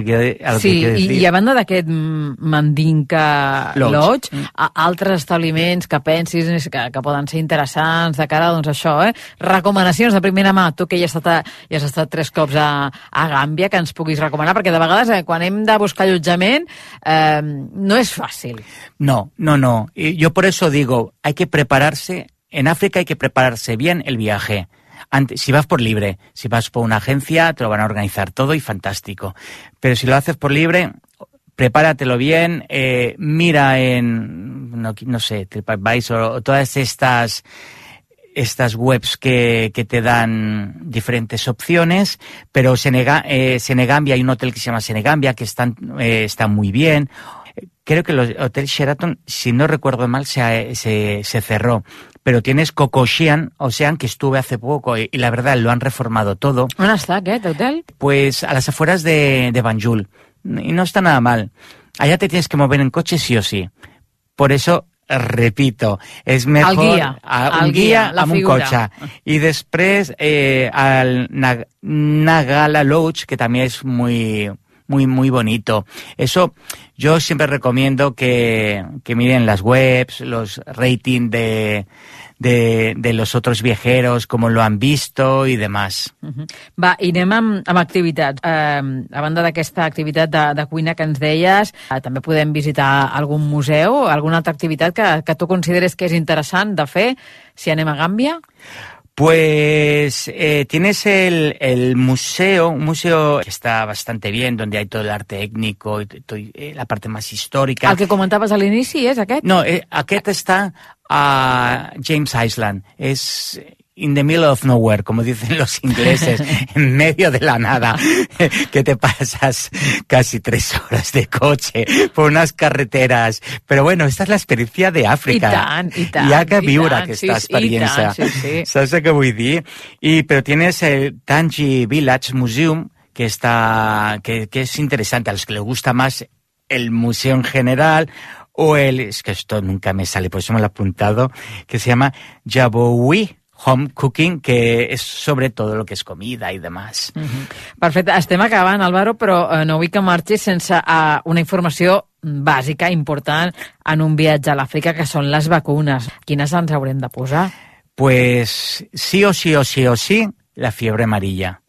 a lo sí, que quiero decir? I, i a banda d'aquest Mandinka Lodge, Lodge mm. a, altres establiments que pensis que, que poden ser interessants de cara, doncs això, eh? Recomanacions de primera mà, tu que ja has estat, ja has estat tres cops a, a Gàmbia, que ens puguis recomanar, perquè de vegades eh, quan hem de buscar allotjament eh, no és fàcil. No, no, no. Y yo por eso digo, hay que prepararse, en África hay que prepararse bien el viaje. Antes, si vas por libre, si vas por una agencia, te lo van a organizar todo y fantástico. Pero si lo haces por libre, prepáratelo bien, eh, mira en, no, no sé, TripAdvisor o todas estas, estas webs que, que te dan diferentes opciones, pero Senega, eh, Senegambia, hay un hotel que se llama Senegambia que están, eh, está muy bien. Creo que el Hotel Sheraton, si no recuerdo mal, se, se, se cerró. Pero tienes Coco Ocean, Ocean, que estuve hace poco y, y la verdad lo han reformado todo. ¿Dónde está aquest hotel? Pues a las afueras de, de Banjul. Y no está nada mal. Allá te tienes que mover en coche sí o sí. Por eso repito, és mejor... El guia. A, un el guia, guia amb un cotxe. I després eh, el Nag Nagala Lodge, que també és muy, muy, muy bonito. Eso yo siempre recomiendo que, que miren las webs, los ratings de... De, de los otros viajeros, cómo lo han visto y demás. Uh-huh. Va, i anem amb, amb activitats. Eh, a banda d'aquesta activitat de, de cuina que ens deies, eh, també podem visitar algun museu, alguna altra activitat que, que tu consideres que és interessant de fer si anem a Gàmbia? Pues eh, tienes el, el museo, un museo que está bastante bien, donde hay todo el arte étnico y todo, eh, la parte más histórica. El que comentaves a l'inici és aquest? No, eh, aquest està a James Island. És in the middle of nowhere, como dicen los ingleses, en medio de la nada, que te pasas casi tres horas de coche por unas carreteras. Pero bueno, esta es la experiencia de Àfrica. I tant, i tant. Hi ha que viure tant, aquesta sí, experiència. Sí, sí. ¿Sabes lo que vull dir? Y, pero tienes el Tangi Village Museum, que, está, que, que es interesante. A los que les gusta más el museo en general, o el, es que esto nunca me sale, por eso me lo he apuntado, que se llama Jabowi Home Cooking, que és sobre todo lo que és comida i demás. Uh-huh. Perfecte, estem acabant, Álvaro, però eh, no vull que marxis sense uh, una informació bàsica, important, en un viatge a l'Àfrica, que són les vacunes. Quines ens haurem de posar? Pues sí o sí o sí o sí, la fiebre amarilla,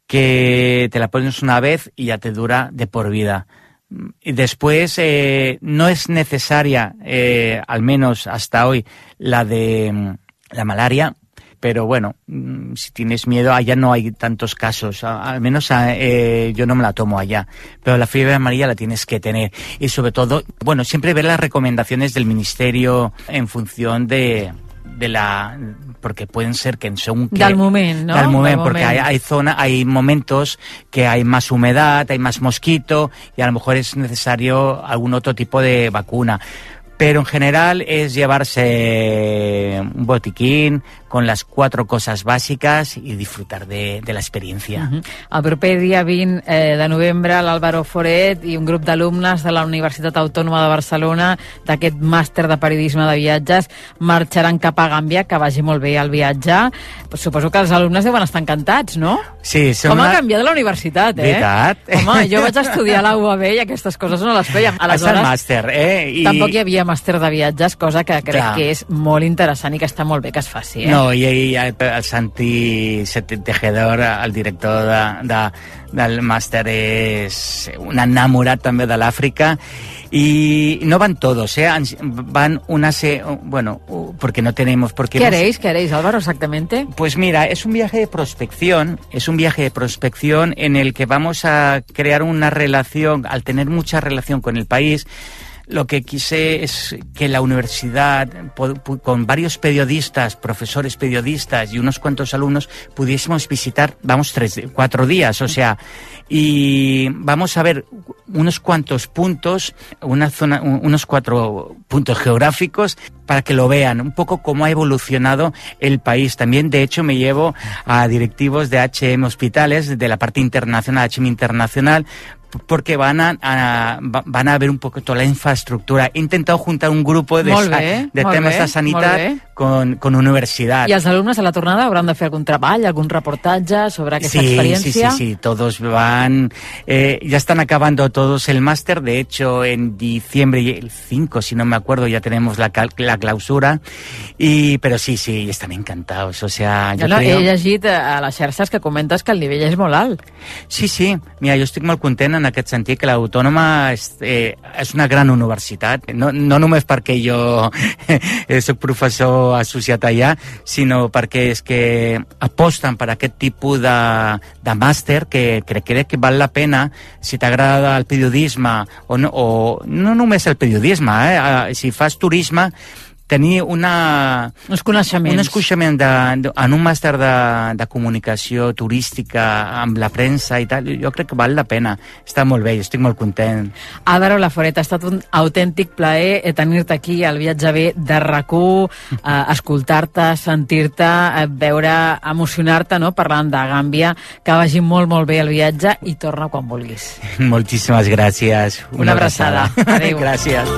que te la pones una vez y ya te dura de por vida. Y después eh, no es necesaria, eh, al menos hasta hoy, la de la malaria, pero bueno, si tienes miedo, allá no hay tantos casos, al menos eh, yo no me la tomo allá, pero la fiebre amarilla la tienes que tener. Y sobre todo, bueno, siempre ver las recomendaciones del ministerio en función de, de la... porque pueden ser que según que... Del moment, ¿no? Del moment, del porque moment. Hay, hay, zona, hay momentos que hay más humedad, hay más mosquito y a lo mejor es necesario algún otro tipo de vacuna. Pero en general es llevarse un botiquín con las cuatro cosas bàsiques i disfrutar de, de l'experiència. Uh-huh. El proper dia vint eh, de novembre, l'Álvaro Foret i un grup d'alumnes de la Universitat Autònoma de Barcelona d'aquest màster de periodisme de viatges marxaran cap a Gàmbia, que vagi molt bé el viatge. Pues suposo que els alumnes deuen estar encantats, no? Sí, Com una... ha canviat la universitat, eh? Veritat. Home, jo vaig estudiar a la U A B i aquestes coses no les fèiem. És el màster, eh? I... Tampoc hi havia màster de viatges, cosa que crec Clar. que és molt interessant i que està molt bé que es faci, eh? No, i, i el, el Santi Tejedor, el director de, de, del màster, és un enamorat també de l'Àfrica. Y no van todos, ¿eh? Van una... Se... Bueno, porque no tenemos... Porque ¿Qué hemos... haréis? ¿Qué haréis, Álvaro, exactamente? Pues mira, es un viaje de prospección, es un viaje de prospección en el que vamos a crear una relación, al tener mucha relación con el país. Lo que quise es que la universidad, con varios periodistas, profesores periodistas y unos cuantos alumnos, pudiésemos visitar, vamos, tres, cuatro días, o sea, y vamos a ver unos cuantos puntos, una zona, unos cuatro puntos geográficos para que lo vean, un poco cómo ha evolucionado el país. También, de hecho, me llevo a directivos de H M Hospitales, de la parte internacional, H M Internacional, porque van a, a, van a ver un poco toda la infraestructura. He intentado juntar un grupo de, molt bé, de molt temes bé, de sanitat con, con universidad. I els alumnes a la tornada hauran de fer algun treball, algún reportatge sobre aquesta sí, experiencia. Sí, sí, sí, todos van... Eh, ya están acabando todos el máster. De hecho, en diciembre, el cinco, si no me acuerdo, ya tenemos la, la clausura. Y, pero sí, sí, están encantados. O sea, yo no, creo... He llegit a les xarxes que comentes que el nivell és molt alt. Sí, sí. Mira, jo estic molt content en aquest sentit que l'Autònoma és, eh, és una gran universitat. No, no només perquè jo eh, soc professor associat allà, sinó perquè és que aposten per aquest tipus de, de màster que crec, crec que val la pena si t'agrada el periodisme o no, o no només el periodisme, eh, si fas turisme, tenir una... Uns coneixements. Un coneixement de, de, en un màster de, de comunicació turística amb la premsa i tal, jo crec que val la pena. Està molt bé, jo estic molt content. Álvaro Laforet, ha estat un autèntic plaer tenir-te aquí al Viatge B de RAC u, eh, escoltar-te, sentir-te, eh, veure, emocionar-te, no?, parlant de Gàmbia. Que vagi molt, molt bé el viatge i torna quan vulguis. Moltíssimes gràcies. Una, una abraçada. abraçada. Adéu. Gràcies.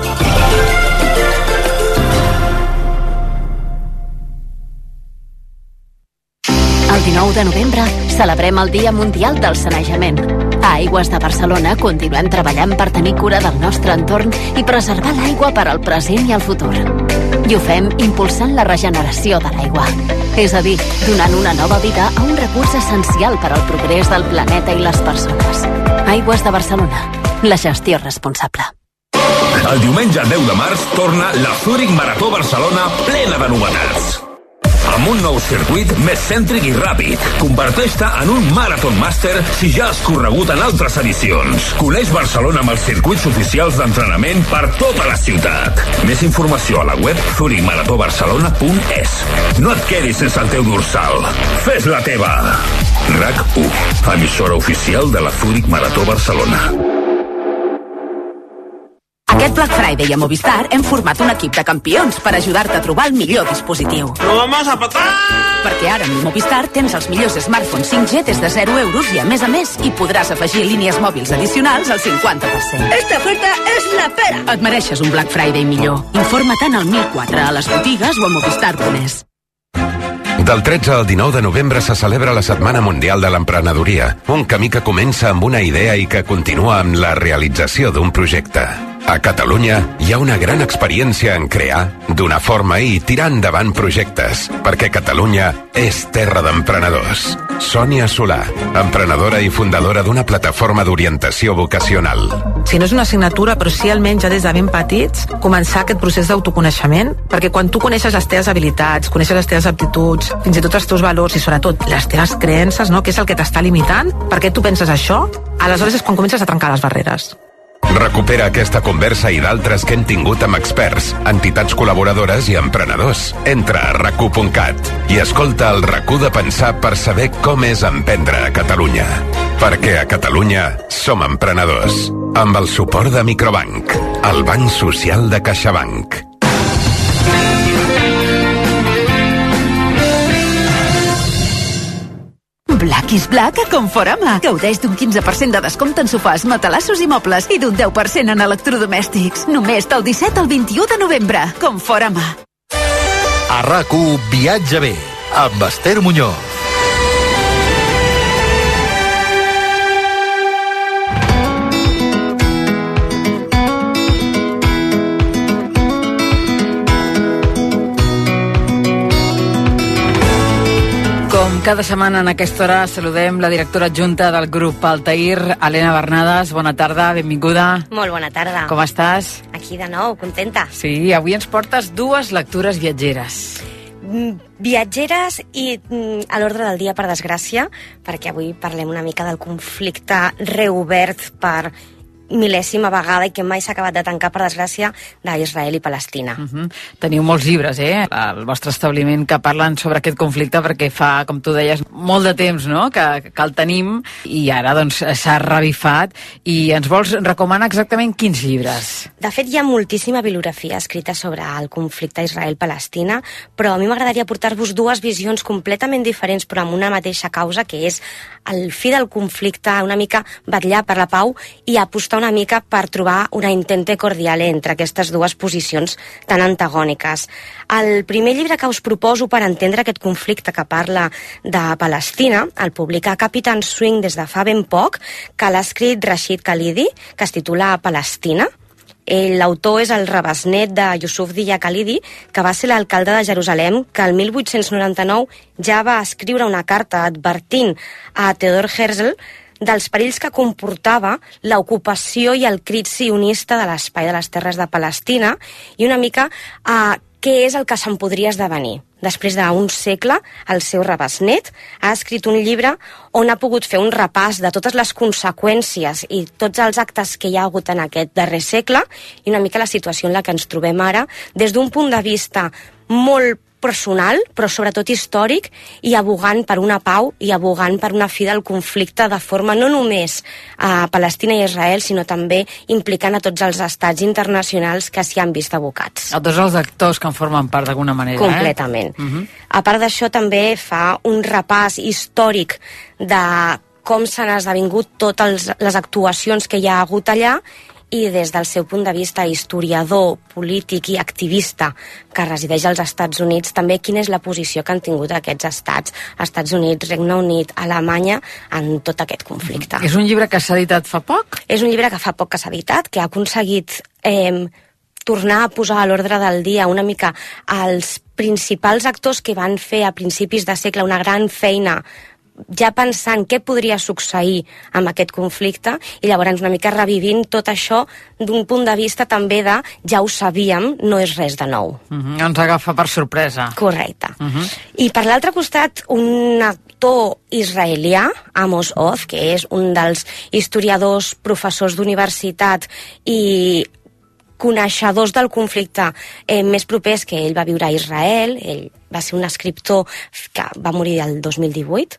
El dinou de novembre celebrem el Dia Mundial del Sanejament. A Aigües de Barcelona continuem treballant per tenir cura del nostre entorn i preservar l'aigua per al present i el futur. I ho fem impulsant la regeneració de l'aigua. És a dir, donant una nova vida a un recurs essencial per al progrés del planeta i les persones. Aigües de Barcelona. La gestió responsable. El diumenge deu de març torna la Zurich Marató Barcelona plena de novetats. Amb un nou circuit més cèntric i ràpid. Converteix-te en un Marathon Master si ja has corregut en altres edicions. Coneix Barcelona amb els circuits oficials d'entrenament per tota la ciutat. Més informació a la web zurich marató barcelona punt es. No et quedis sense el teu dorsal. Fes la teva. RAC u, emissora oficial de la Zurich Marató Barcelona. Aquest Black Friday a Movistar hem format un equip de campions per ajudar-te a trobar el millor dispositiu. ¡No vamos a patar! Perquè ara amb Movistar tens els millors smartphones cinc G des de zero euros i, a més a més, hi podràs afegir línies mòbils addicionals al cinquanta per cent. Esta oferta és la pera! Et mereixes un Black Friday millor. Informa-te'n al mil quatre a les botigues o a movistar punt es. Del tretze al dinou de novembre se celebra la Setmana Mundial de l'Emprenedoria, un camí que comença amb una idea i que continua amb la realització d'un projecte. A Catalunya hi ha una gran experiència en crear, donar forma i tirar endavant projectes, perquè Catalunya és terra d'emprenedors. Sònia Solà, emprenedora i fundadora d'una plataforma d'orientació vocacional. Si no és una assignatura, però sí almenys ja des de ben petits, començar aquest procés d'autoconeixement, perquè quan tu coneixes les teves habilitats, coneixes les teves aptituds, fins i tot els teus valors i sobretot les teves creences, no? Que és el que t'està limitant, per què tu penses això, aleshores és quan comences a trencar les barreres. Recupera aquesta conversa i d'altres que hem tingut amb experts, entitats col·laboradores i emprenedors. Entra a rac u punt cat i escolta el RAC u de pensar per saber com és emprendre a Catalunya. Perquè a Catalunya som emprenedors. Amb el suport de Microbank, el banc social de CaixaBank. Black is Black a Conforama. Gaudeix d'un quinze per cent de descompte en sofàs, matalassos i mobles i d'un deu per cent en electrodomèstics. Només del disset al vint-i-u de novembre. Conforama. A RAC u Viatge bé, amb Esther Muñoz. Com cada setmana en aquesta hora saludem la directora adjunta del grup Altair, Helena Bernades. Bona tarda, benvinguda. Molt bona tarda. Com estàs? Aquí de nou, contenta. Sí, avui ens portes dues lectures viatgeres. Viatgeres i a l'ordre del dia, per desgràcia, perquè avui parlem una mica del conflicte reobert per mil·lèsima vegada i que mai s'ha acabat de tancar, per desgràcia, d'Israel i Palestina. Uh -huh. Teniu molts llibres, eh, al vostre establiment que parlen sobre aquest conflicte, perquè fa, com tu deies, molt de temps, no?, que, que el tenim i ara, doncs, s'ha revifat. I ens vols recomanar exactament quins llibres? De fet, hi ha moltíssima bibliografia escrita sobre el conflicte Israel-Palestina, però a mi m'agradaria portar-vos dues visions completament diferents, però amb una mateixa causa, que és el fi del conflicte, una mica vetllar per la pau i apostar una mica per trobar una intente cordiale entre aquestes dues posicions tan antagòniques. El primer llibre que us proposo per entendre aquest conflicte que parla de Palestina el publica Captain Swing des de fa ben poc, que l'ha escrit Rashid Khalidi, que es titula Palestina. L'autor és el rebesnet de Yusuf Dia Khalidi, que va ser l'alcalde de Jerusalem, que el mil vuit-cents noranta-nou ja va escriure una carta advertint a Theodor Herzl dels perills que comportava l'ocupació i el crit sionista de l'espai de les terres de Palestina i una mica eh, què és el que se'n podria esdevenir. Després d'un segle, el seu rebesnet ha escrit un llibre on ha pogut fer un repàs de totes les conseqüències i tots els actes que hi ha hagut en aquest darrer segle i una mica la situació en la que ens trobem ara des d'un punt de vista molt personal, però sobretot històric, i abogant per una pau i abogant per una fi del conflicte de forma no només a Palestina i Israel, sinó també implicant a tots els estats internacionals que s'hi han vist abocats. A tots els actors que en formen part d'alguna manera. Completament. Eh? Uh-huh. A part d'això, també fa un repàs històric de com s'han esdevingut totes les actuacions que hi ha hagut allà i des del seu punt de vista historiador, polític i activista que resideix als Estats Units, també quina és la posició que han tingut aquests estats, Estats Units, Regne Unit, Alemanya, en tot aquest conflicte. És un llibre que s'ha editat fa poc? És un llibre que fa poc que s'ha editat, que ha aconseguit eh, tornar a posar a l'ordre del dia una mica els principals actors que van fer a principis de segle una gran feina ja pensant què podria succeir amb aquest conflicte i llavors una mica revivint tot això d'un punt de vista també de ja ho sabíem, no és res de nou. Uh-huh. Ens agafa per sorpresa. Correcte. Uh-huh. I per l'altre costat, un actor israelià, Amos Oz, que és un dels historiadors, professors d'universitat i coneixedors del conflicte eh, més propers, que ell va viure a Israel, ell va ser un escriptor que va morir el dos mil divuit,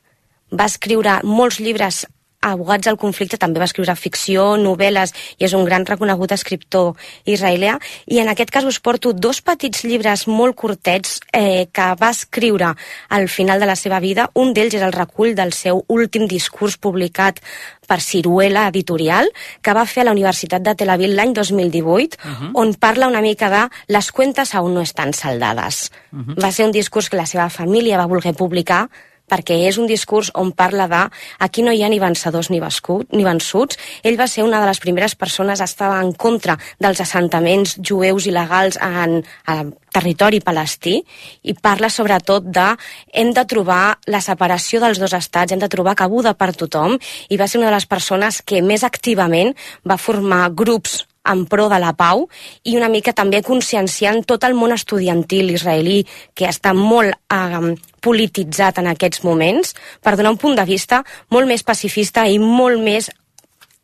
va escriure molts llibres abogats al conflicte, també va escriure ficció, novel·les, i és un gran reconegut escriptor israelià, i en aquest cas us porto dos petits llibres molt curtets eh, que va escriure al final de la seva vida. Un d'ells és el recull del seu últim discurs publicat per Ciruela Editorial, que va fer a la Universitat de Tel Aviv l'any dos mil divuit, uh-huh. on parla una mica de les cuentes aún no estan saldades. Uh-huh. Va ser un discurs que la seva família va voler publicar, perquè és un discurs on parla de aquí no hi ha ni vencedors ni, bascut, ni vençuts. Ell va ser una de les primeres persones a estar en contra dels assentaments jueus il·legals en, en territori palestí, i parla sobretot de hem de trobar la separació dels dos estats, hem de trobar cabuda per tothom, i va ser una de les persones que més activament va formar grups en pro de la pau i una mica també conscienciant tot el món estudiantil israelí, que està molt eh, polititzat en aquests moments, per donar un punt de vista molt més pacifista i molt més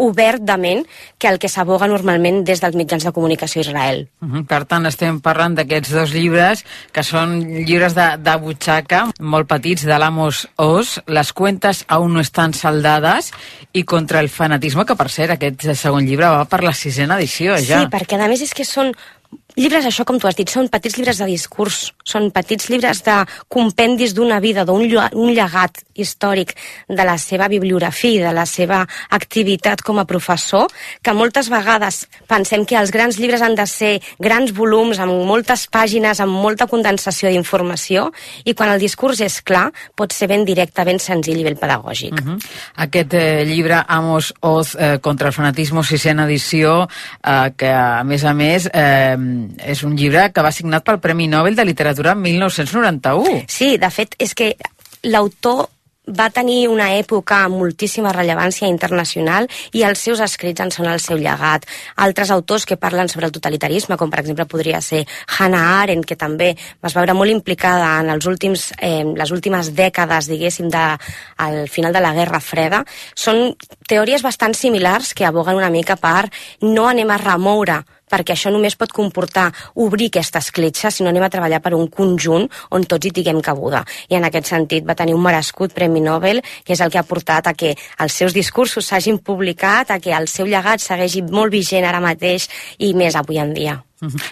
obert de ment que el que s'aboga normalment des dels mitjans de comunicació a Israel. Uh-huh. Per tant, estem parlant d'aquests dos llibres, que són llibres de, de butxaca, molt petits, de l'Amos Oz, Les cuentes aún no estan saldades, i Contra el fanatisme, que per cert, aquest segon llibre va per la sisena edició, ja. Sí, perquè a més és que són llibres, això com tu has dit, són petits llibres de discurs, són petits llibres de compendis d'una vida, d'un un llegat històric de la seva bibliografia, de la seva activitat com a professor, que moltes vegades pensem que els grans llibres han de ser grans volums, amb moltes pàgines, amb molta condensació d'informació, i quan el discurs és clar, pot ser ben directe, ben senzill i ben pedagògic. Uh-huh. Aquest eh, llibre, Amos Oz, eh, Contra el fanatisme, sisena edició, eh, que a més a més eh, és un llibre que va signat pel Premi Nobel de Literatura en mil nou-cents noranta-u. Sí, de fet, és que l'autor va tenir una època amb moltíssima rellevància internacional i els seus escrits en són el seu llegat. Altres autors que parlen sobre el totalitarisme, com per exemple podria ser Hannah Arendt, que també es va veure molt implicada en els últims, eh, les últimes dècades, diguéssim, de, al final de la Guerra Freda, són teories bastant similars que aboguen una mica per no anem a remoure, perquè això només pot comportar obrir aquesta escletxa, sinó anem a treballar per un conjunt on tots hi tinguem cabuda. I en aquest sentit va tenir un merescut Premi Nobel, que és el que ha portat a que els seus discursos s'hagin publicat, a que el seu llegat segueixi molt vigent ara mateix i més avui en dia.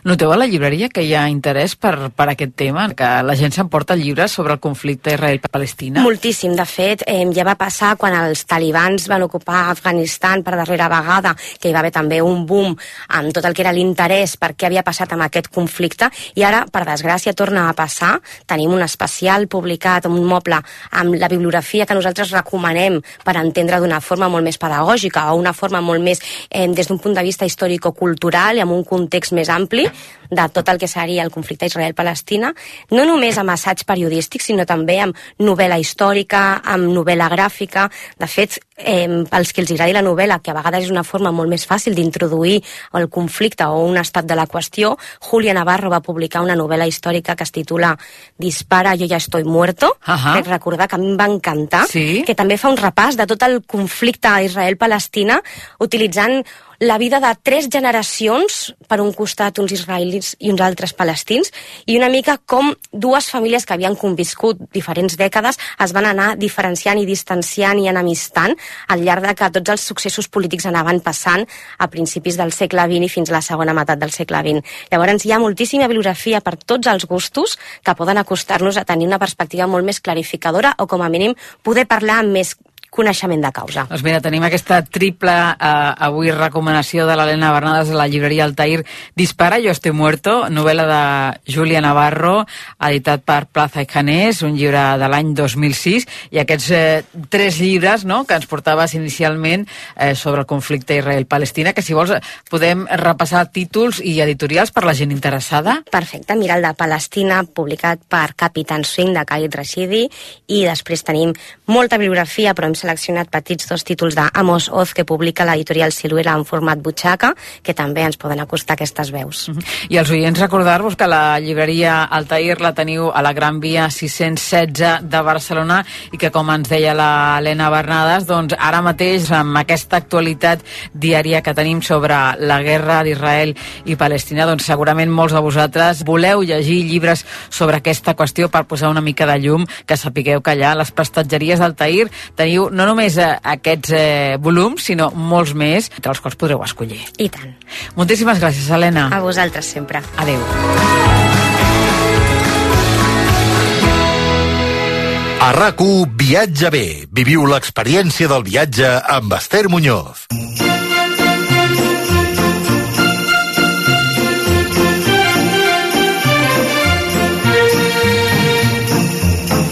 Noteu a la llibreria que hi ha interès per, per aquest tema, que la gent s'emporta llibres sobre el conflicte Israel-Palestina? Moltíssim. De fet, eh, ja va passar quan els talibans van ocupar Afganistan per darrera vegada, que hi va haver també un boom amb tot el que era l'interès per què havia passat amb aquest conflicte, i ara, per desgràcia, torna a passar. Tenim un especial publicat, un moble, amb la bibliografia que nosaltres recomanem per entendre d'una forma molt més pedagògica o una forma molt més eh, des d'un punt de vista històrico-cultural i amb un context més ampli de tot el que seria el conflicte Israel-Palestina, no només amb assaig periodístic, sinó també amb novel·la històrica, amb novel·la gràfica. De fet, eh, pels que els agradi la novel·la, que a vegades és una forma molt més fàcil d'introduir el conflicte o un estat de la qüestió, Julia Navarro va publicar una novel·la històrica que es titula Dispara, yo ya estoy muerto. Uh-huh. Crec recordar que a mi em va encantar, sí? Que també fa un repàs de tot el conflicte Israel-Palestina, utilitzant la vida de tres generacions, per un costat uns israelis i uns altres palestins, i una mica com dues famílies que havien conviscut diferents dècades es van anar diferenciant i distanciant i enemistant al llarg de que tots els successos polítics anaven passant a principis del segle vint i fins a la segona meitat del segle vint. Llavors hi ha moltíssima bibliografia per tots els gustos que poden acostar-nos a tenir una perspectiva molt més clarificadora o com a mínim poder parlar amb més coneixement de causa. Doncs mira, tenim aquesta triple eh, avui recomanació de l'Helena Bernades a la llibreria Altair. Dispara, yo estoy muerto, novel·la de Júlia Navarro, editat per Plaza y Janés, un llibre de l'any dos mil sis, i aquests eh, tres llibres, no?, que ens portaves inicialment eh, sobre el conflicte Israel-Palestina, que si vols podem repassar títols i editorials per la gent interessada. Perfecte, mira el de Palestina, publicat per Capitán Swing de Khalid Rashidi, i després tenim molta bibliografia, però hem seleccionat petits dos títols d'Amos Oz, que publica l'editorial Siluela en format butxaca, que també ens poden acostar aquestes veus. I als oients recordar-vos que la llibreria Altair la teniu a la Gran Via sis-cents setze de Barcelona i que, com ens deia l'Helena Bernades, doncs ara mateix, amb aquesta actualitat diària que tenim sobre la guerra d'Israel i Palestina, doncs segurament molts de vosaltres voleu llegir llibres sobre aquesta qüestió per posar una mica de llum, que sapigueu que allà a les prestatgeries d'Altair teniu no només eh, aquests eh, volums, sinó molts més, entre els quals podreu escollir. I tant. Moltíssimes gràcies, Helena. A vosaltres sempre. Adéu. A RAC u Viatge bé. Viviu l'experiència del viatge amb Esther Muñoz.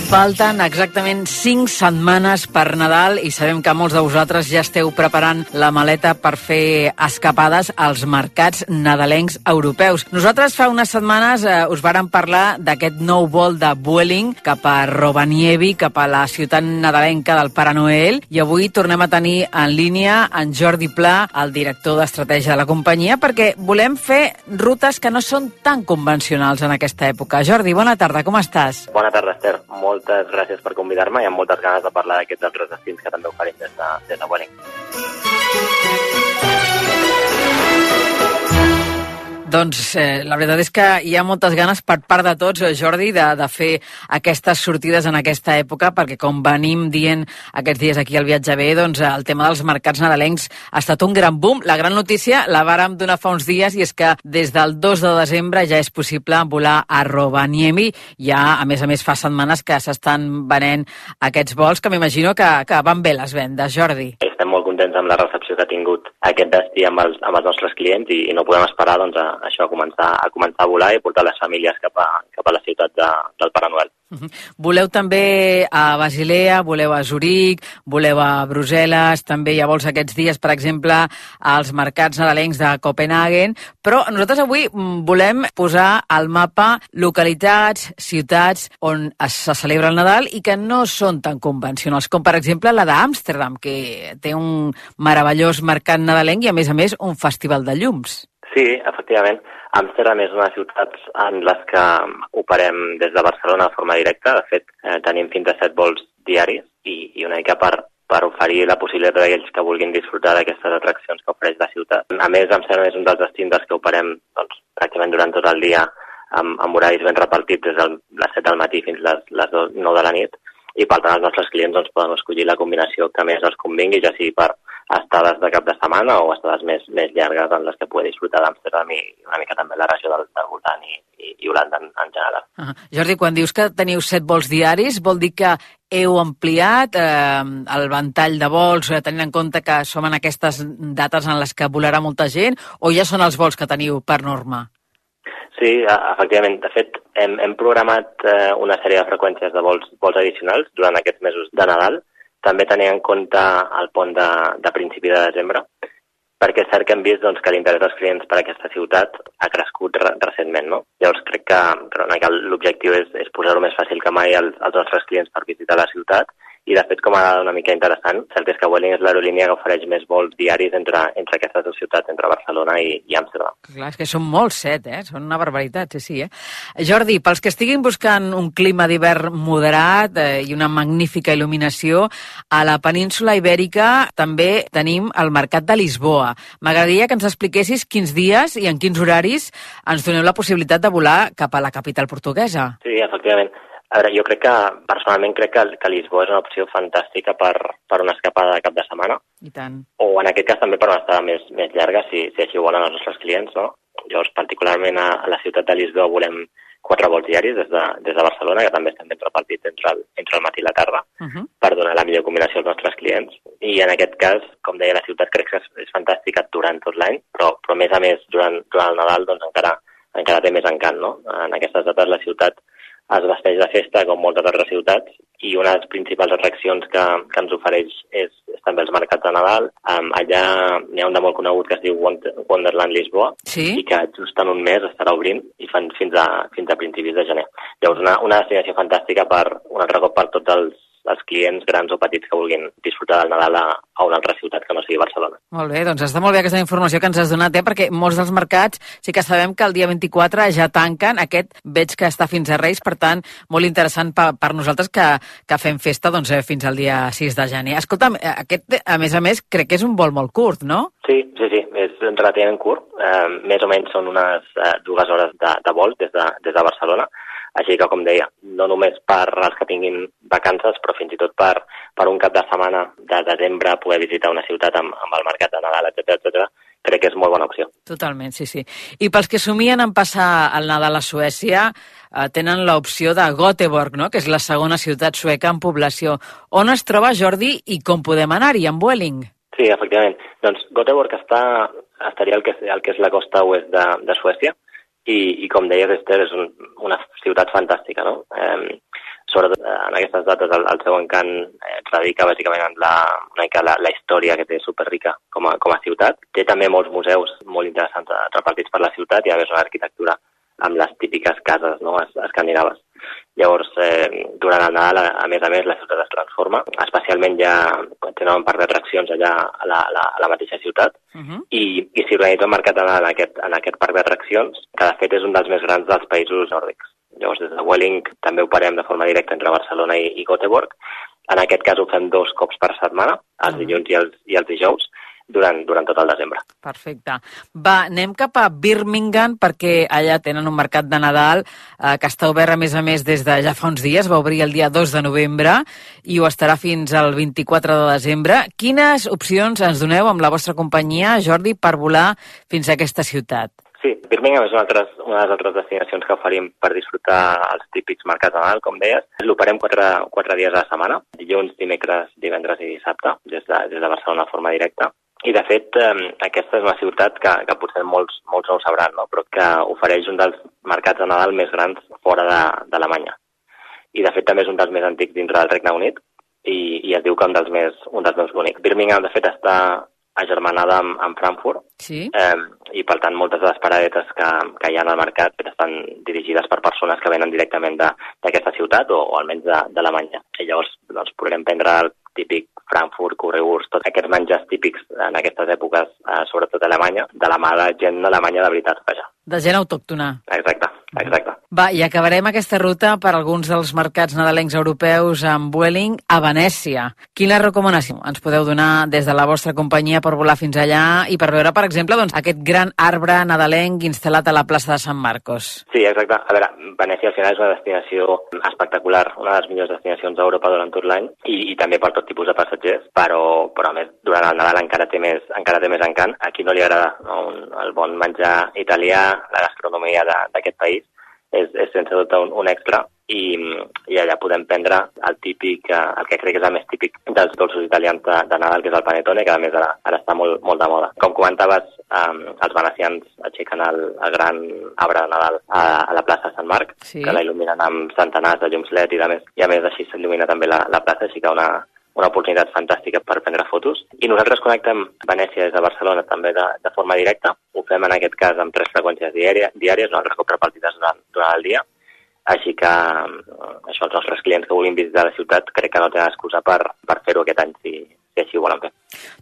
Falten exactament cinc setmanes per Nadal i sabem que molts de vosaltres ja esteu preparant la maleta per fer escapades als mercats nadalencs europeus. Nosaltres fa unes setmanes eh, us vàrem parlar d'aquest nou vol de Vueling cap a Rovaniemi, cap a la ciutat nadalenca del Pare Noel, i avui tornem a tenir en línia en Jordi Pla, el director d'estratègia de la companyia, perquè volem fer rutes que no són tan convencionals en aquesta època. Jordi, bona tarda, com estàs? Bona tarda, Esther. Moltes gràcies per convidar-me i amb moltes ganes de parlar d'aquests altres destins que també oferim des de, des de Vueling. Doncs eh, la veritat és que hi ha moltes ganes per part de tots, Jordi, de, de fer aquestes sortides en aquesta època, perquè com venim dient aquests dies aquí al Viatge bé, doncs el tema dels mercats nadalencs ha estat un gran boom. La gran notícia la vàrem donar fa uns dies i és que des del dos de desembre ja és possible volar a Rovaniemi. Ja, a més a més, fa setmanes que s'estan venent aquests vols, que m'imagino que, que van bé les vendes, Jordi. Estem molt contents amb la recepció que ha tingut aquest destí amb els, amb els nostres clients i, i no podem esperar doncs, a, això, a començar, a començar a volar i portar les famílies cap a, cap a la ciutat de, del Pare Noel. Uh-huh. Voleu també a Basilea, voleu a Zuric, voleu a Brussel·les, també hi ha vols aquests dies, per exemple, als mercats nadalencs de Copenhagen, però nosaltres avui volem posar al mapa localitats, ciutats on es celebra el Nadal i que no són tan convencionals, com per exemple la d'Amsterdam, que té un meravellós mercat nadalenc i a més a més un festival de llums. Sí, efectivament. Amsterdam és una de les ciutats en les que operem des de Barcelona de forma directa. De fet, eh, tenim fins a set vols diaris i, i una mica per, per oferir la possibilitat d'aquells que vulguin disfrutar d'aquestes atraccions que ofereix la ciutat. A més, Amsterdam és un dels destins dels que operem doncs, pràcticament durant tot el dia amb, amb horaris ben repartits des de les set del matí fins a les, les nou de la nit, i per tant els nostres clients doncs, poden escollir la combinació que més els convingui, ja sigui per estades de cap de setmana o estades més, més llargues en les que pugui disfrutar d'Amsterdam i una mica també la regió del, del voltant i, i, i Holanda en, en general. Uh-huh. Jordi, quan dius que teniu set vols diaris, vol dir que heu ampliat eh, el ventall de vols, eh, tenint en compte que som en aquestes dates en les que volarà molta gent, o ja són els vols que teniu per norma? Sí, efectivament. De fet, hem, hem programat eh, una sèrie de freqüències de vols, vols addicionals durant aquests mesos de Nadal. També tenint en compte el pont de, de principi de desembre, perquè és cert que hem vist doncs, que l'interès dels clients per a aquesta ciutat ha crescut re recentment, no? Llavors crec que, que l'objectiu és, és posar-ho més fàcil que mai als, als nostres clients per visitar la ciutat. I, de fet, com a dada una mica interessant, cert és que Vueling és l'aerolínia que ofereix més vols diaris entre, entre aquestes dues ciutats, entre Barcelona i, i Amsterdam. Clar, és que són molts, set, eh? Són una barbaritat, sí, sí, eh? Jordi, pels que estiguin buscant un clima d'hivern moderat eh, i una magnífica il·luminació, a la península Ibèrica també tenim el Mercat de Lisboa. M'agradaria que ens expliquessis quins dies i en quins horaris ens doneu la possibilitat de volar cap a la capital portuguesa. Sí, efectivament. A veure, jo crec que, personalment, crec que, que Lisboa és una opció fantàstica per, per una escapada de cap de setmana. I tant. O, en aquest cas, també per una estada més, més llarga, si, si així ho volen els nostres clients, no? Llavors, particularment a, a la ciutat de Lisboa volem quatre vols diaris des de, des de Barcelona, que també estem ben repartits entre el, entre el matí i la tarda, uh-huh. per donar la millor combinació als nostres clients. I en aquest cas, com deia, la ciutat crec que és, és fantàstica durant tot l'any, però, però a més a més, durant, durant el Nadal, doncs encara, encara té més encant, no? En aquestes dates la ciutat es vesteix de festa com moltes altres ciutats i una de les principals atraccions que, que ens ofereix és, és també els mercats de Nadal. Um, allà n'hi ha un de molt conegut que es diu Wonderland Lisboa, sí? I que just en un mes estarà obrint i fan fins a, fins a principis de gener. Llavors una, una destinació fantàstica per un altre cop per tots els, els clients grans o petits que vulguin disfrutar del Nadal a, a una altra ciutat que no sigui Barcelona. Molt bé, doncs està molt bé aquesta informació que ens has donat, eh? Perquè molts dels mercats sí que sabem que el dia vint-i-quatre ja tanquen, aquest veig que està fins a Reis, per tant, molt interessant per, per nosaltres que, que fem festa doncs, eh, fins al dia sis de gener. Escolta'm, aquest, a més a més, crec que és un vol molt curt, no? Sí, sí, sí, és relativament curt, eh, més o menys són unes eh, dues hores de, de vol des de, des de Barcelona. Així que, com deia, no només per als que tinguin vacances, però fins i tot per, per un cap de setmana de desembre poder visitar una ciutat amb, amb el mercat de Nadal, etcètera, etcètera, crec que és molt bona opció. Totalment, sí, sí. I pels que somien en passar el Nadal a Suècia, eh, tenen l'opció de Göteborg, no?, que és la segona ciutat sueca en població. On es troba, Jordi, i com podem anar-hi, en Vueling? Sí, efectivament. Doncs Göteborg està, estaria al que, al que és la costa oest de, de Suècia, I, i com deia Esther, és un, una ciutat fantàstica, no? Eh, sobretot en aquestes dates el, el seu encant eh, radica bàsicament en la, una mica la, la història que té superrica com a, com a ciutat. Té també molts museus molt interessants repartits per la ciutat i a més una arquitectura amb les típiques cases, no?, escandinaves. Llavors, eh, durant el Nadal, a, a més a més, la ciutat es transforma, especialment ja tenen un parc d'atraccions allà a la, a la, a la mateixa ciutat, uh-huh. i, i s'hi organitza un mercat de Nadal en aquest, en aquest parc d'atraccions, que de fet és un dels més grans dels països nòrdics. Llavors, des de Vueling també operem de forma directa entre Barcelona i, i Göteborg. En aquest cas ho fem dos cops per setmana, els uh-huh. dilluns i els, i els dijous, durant, durant tot el desembre. Perfecte. Va, anem cap a Birmingham, perquè allà tenen un mercat de Nadal eh, que està obert, a més a més, des de ja fa uns dies, va obrir el dia dos de novembre i ho estarà fins al vint-i-quatre de desembre. Quines opcions ens doneu amb la vostra companyia, Jordi, per volar fins a aquesta ciutat? Sí, Birmingham és una, altres, una de les altres destinacions que oferim per disfrutar els típics mercats de Nadal, com deies. L'operem quatre, quatre dies a la setmana, dilluns, dimecres, divendres i dissabte, des de, des de Barcelona de forma directa. I, de fet, eh, aquesta és una ciutat que, que potser molts, molts no ho sabran, no?, però que ofereix un dels mercats de Nadal més grans fora d'Alemanya. I, de fet, també és un dels més antics dintre del Regne Unit i, i es diu que un dels més, un dels més bonics. Birmingham, de fet, està agermanada amb, amb Frankfurt, sí? eh, i, per tant, moltes de les paradetes que, que hi ha al mercat estan dirigides per persones que venen directament d'aquesta ciutat o, o almenys d'Alemanya. I llavors doncs, podrem prendre el típic Frankfurt, currywurst, tots aquests menjars típics en aquestes èpoques, eh, sobretot a Alemanya, de la mà de gent d'Alemanya de veritat, vaja. De gent autòctona. Exacte, exacte. Va, i acabarem aquesta ruta per alguns dels mercats nadalencs europeus amb Vueling a Venècia. Quina recomanació ens podeu donar des de la vostra companyia per volar fins allà i per veure, per exemple, doncs, aquest gran arbre nadalenc instal·lat a la plaça de Sant Marcos? Sí, exacte. A veure, Venècia al final és una destinació espectacular, una de les millors destinacions d'Europa durant tot l'any i, i també per tot tipus de passatgers, però, però a més, durant el Nadal encara té més, encara té més encant. A qui no li agrada, no? Un, el bon menjar italià, la gastronomia d'aquest país, és, és sense dubte un, un extra i, i allà podem prendre el típic, el que crec que és el més típic dels dolços italians de, de Nadal, que és el panettone, que a més ara, ara està molt, molt de moda. Com comentaves, um, els venecians aixequen el, el gran arbre de Nadal a, a la plaça Sant Marc, sí, que la il·luminen amb centenars de llums L E D i a més, i a més així s'il·lumina també la, la plaça, així que una una oportunitat fantàstica per prendre fotos. I nosaltres connectem Venècia des de Barcelona també de, de forma directa. Ho fem en aquest cas amb tres freqüències diàries, diàries un altre cop repartides durant, durant el dia. Així que això, els nostres clients que vulguin visitar la ciutat crec que no tenen excusa per, per fer-ho aquest any si, si així ho volen fer.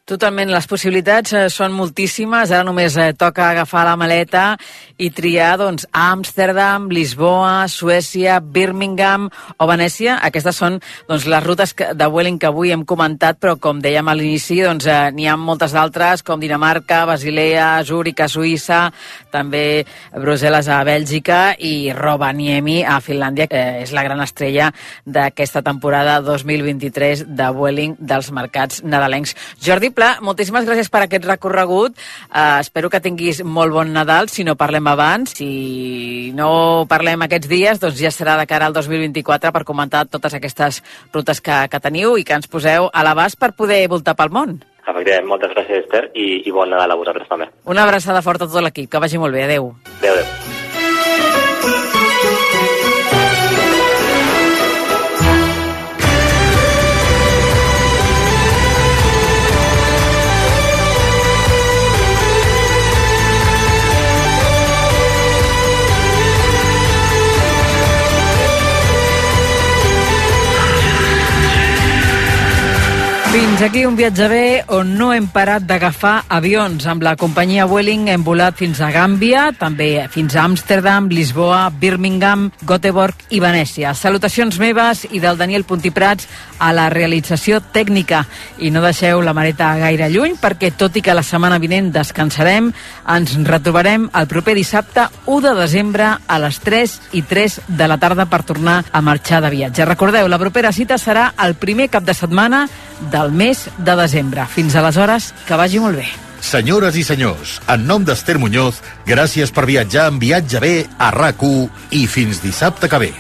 Totalment, les possibilitats eh, són moltíssimes, ara només eh, toca agafar la maleta i triar doncs, Amsterdam, Lisboa, Suècia, Birmingham o Venècia. Aquestes són doncs, les rutes que, de Vueling que avui hem comentat, però com dèiem a l'inici, doncs, eh, n'hi ha moltes d'altres, com Dinamarca, Basilea, Zúrich a Suïssa, també Brussel·les a Bèlgica i Rovaniemi a Finlàndia, que és la gran estrella d'aquesta temporada dos mil vint-i-tres de Vueling dels mercats nadalencs. Jordi Pla, moltíssimes gràcies per aquest recorregut. Uh, espero que tinguis molt bon Nadal, si no parlem abans. Si no parlem aquests dies, doncs ja serà de cara al dos mil vint-i-quatre per comentar totes aquestes rutes que, que teniu i que ens poseu a l'abast per poder voltar pel món. Efectivament, moltes gràcies, Esther, i, i bon Nadal a vosaltres també. Una abraçada forta a tot l'equip, que vagi molt bé. Adéu. Adéu, adéu. Fins aquí un viatge bé on no hem parat d'agafar avions. Amb la companyia Vueling hem volat fins a Gàmbia, també fins a Amsterdam, Lisboa, Birmingham, Göteborg i Venècia. Salutacions meves i del Daniel Puntiprats a la realització tècnica. I no deixeu la mareta gaire lluny perquè, tot i que la setmana vinent descansarem, ens retrobarem el proper dissabte u de desembre a les tres i tres de la tarda per tornar a marxar de viatge. Recordeu, la propera cita serà el primer cap de setmana del mes de desembre. Fins aleshores, que vagi molt bé. Senyores i senyors, en nom d'Esther Muñoz, gràcies per viatjar en Viatge Bé a RAC u i fins dissabte que ve.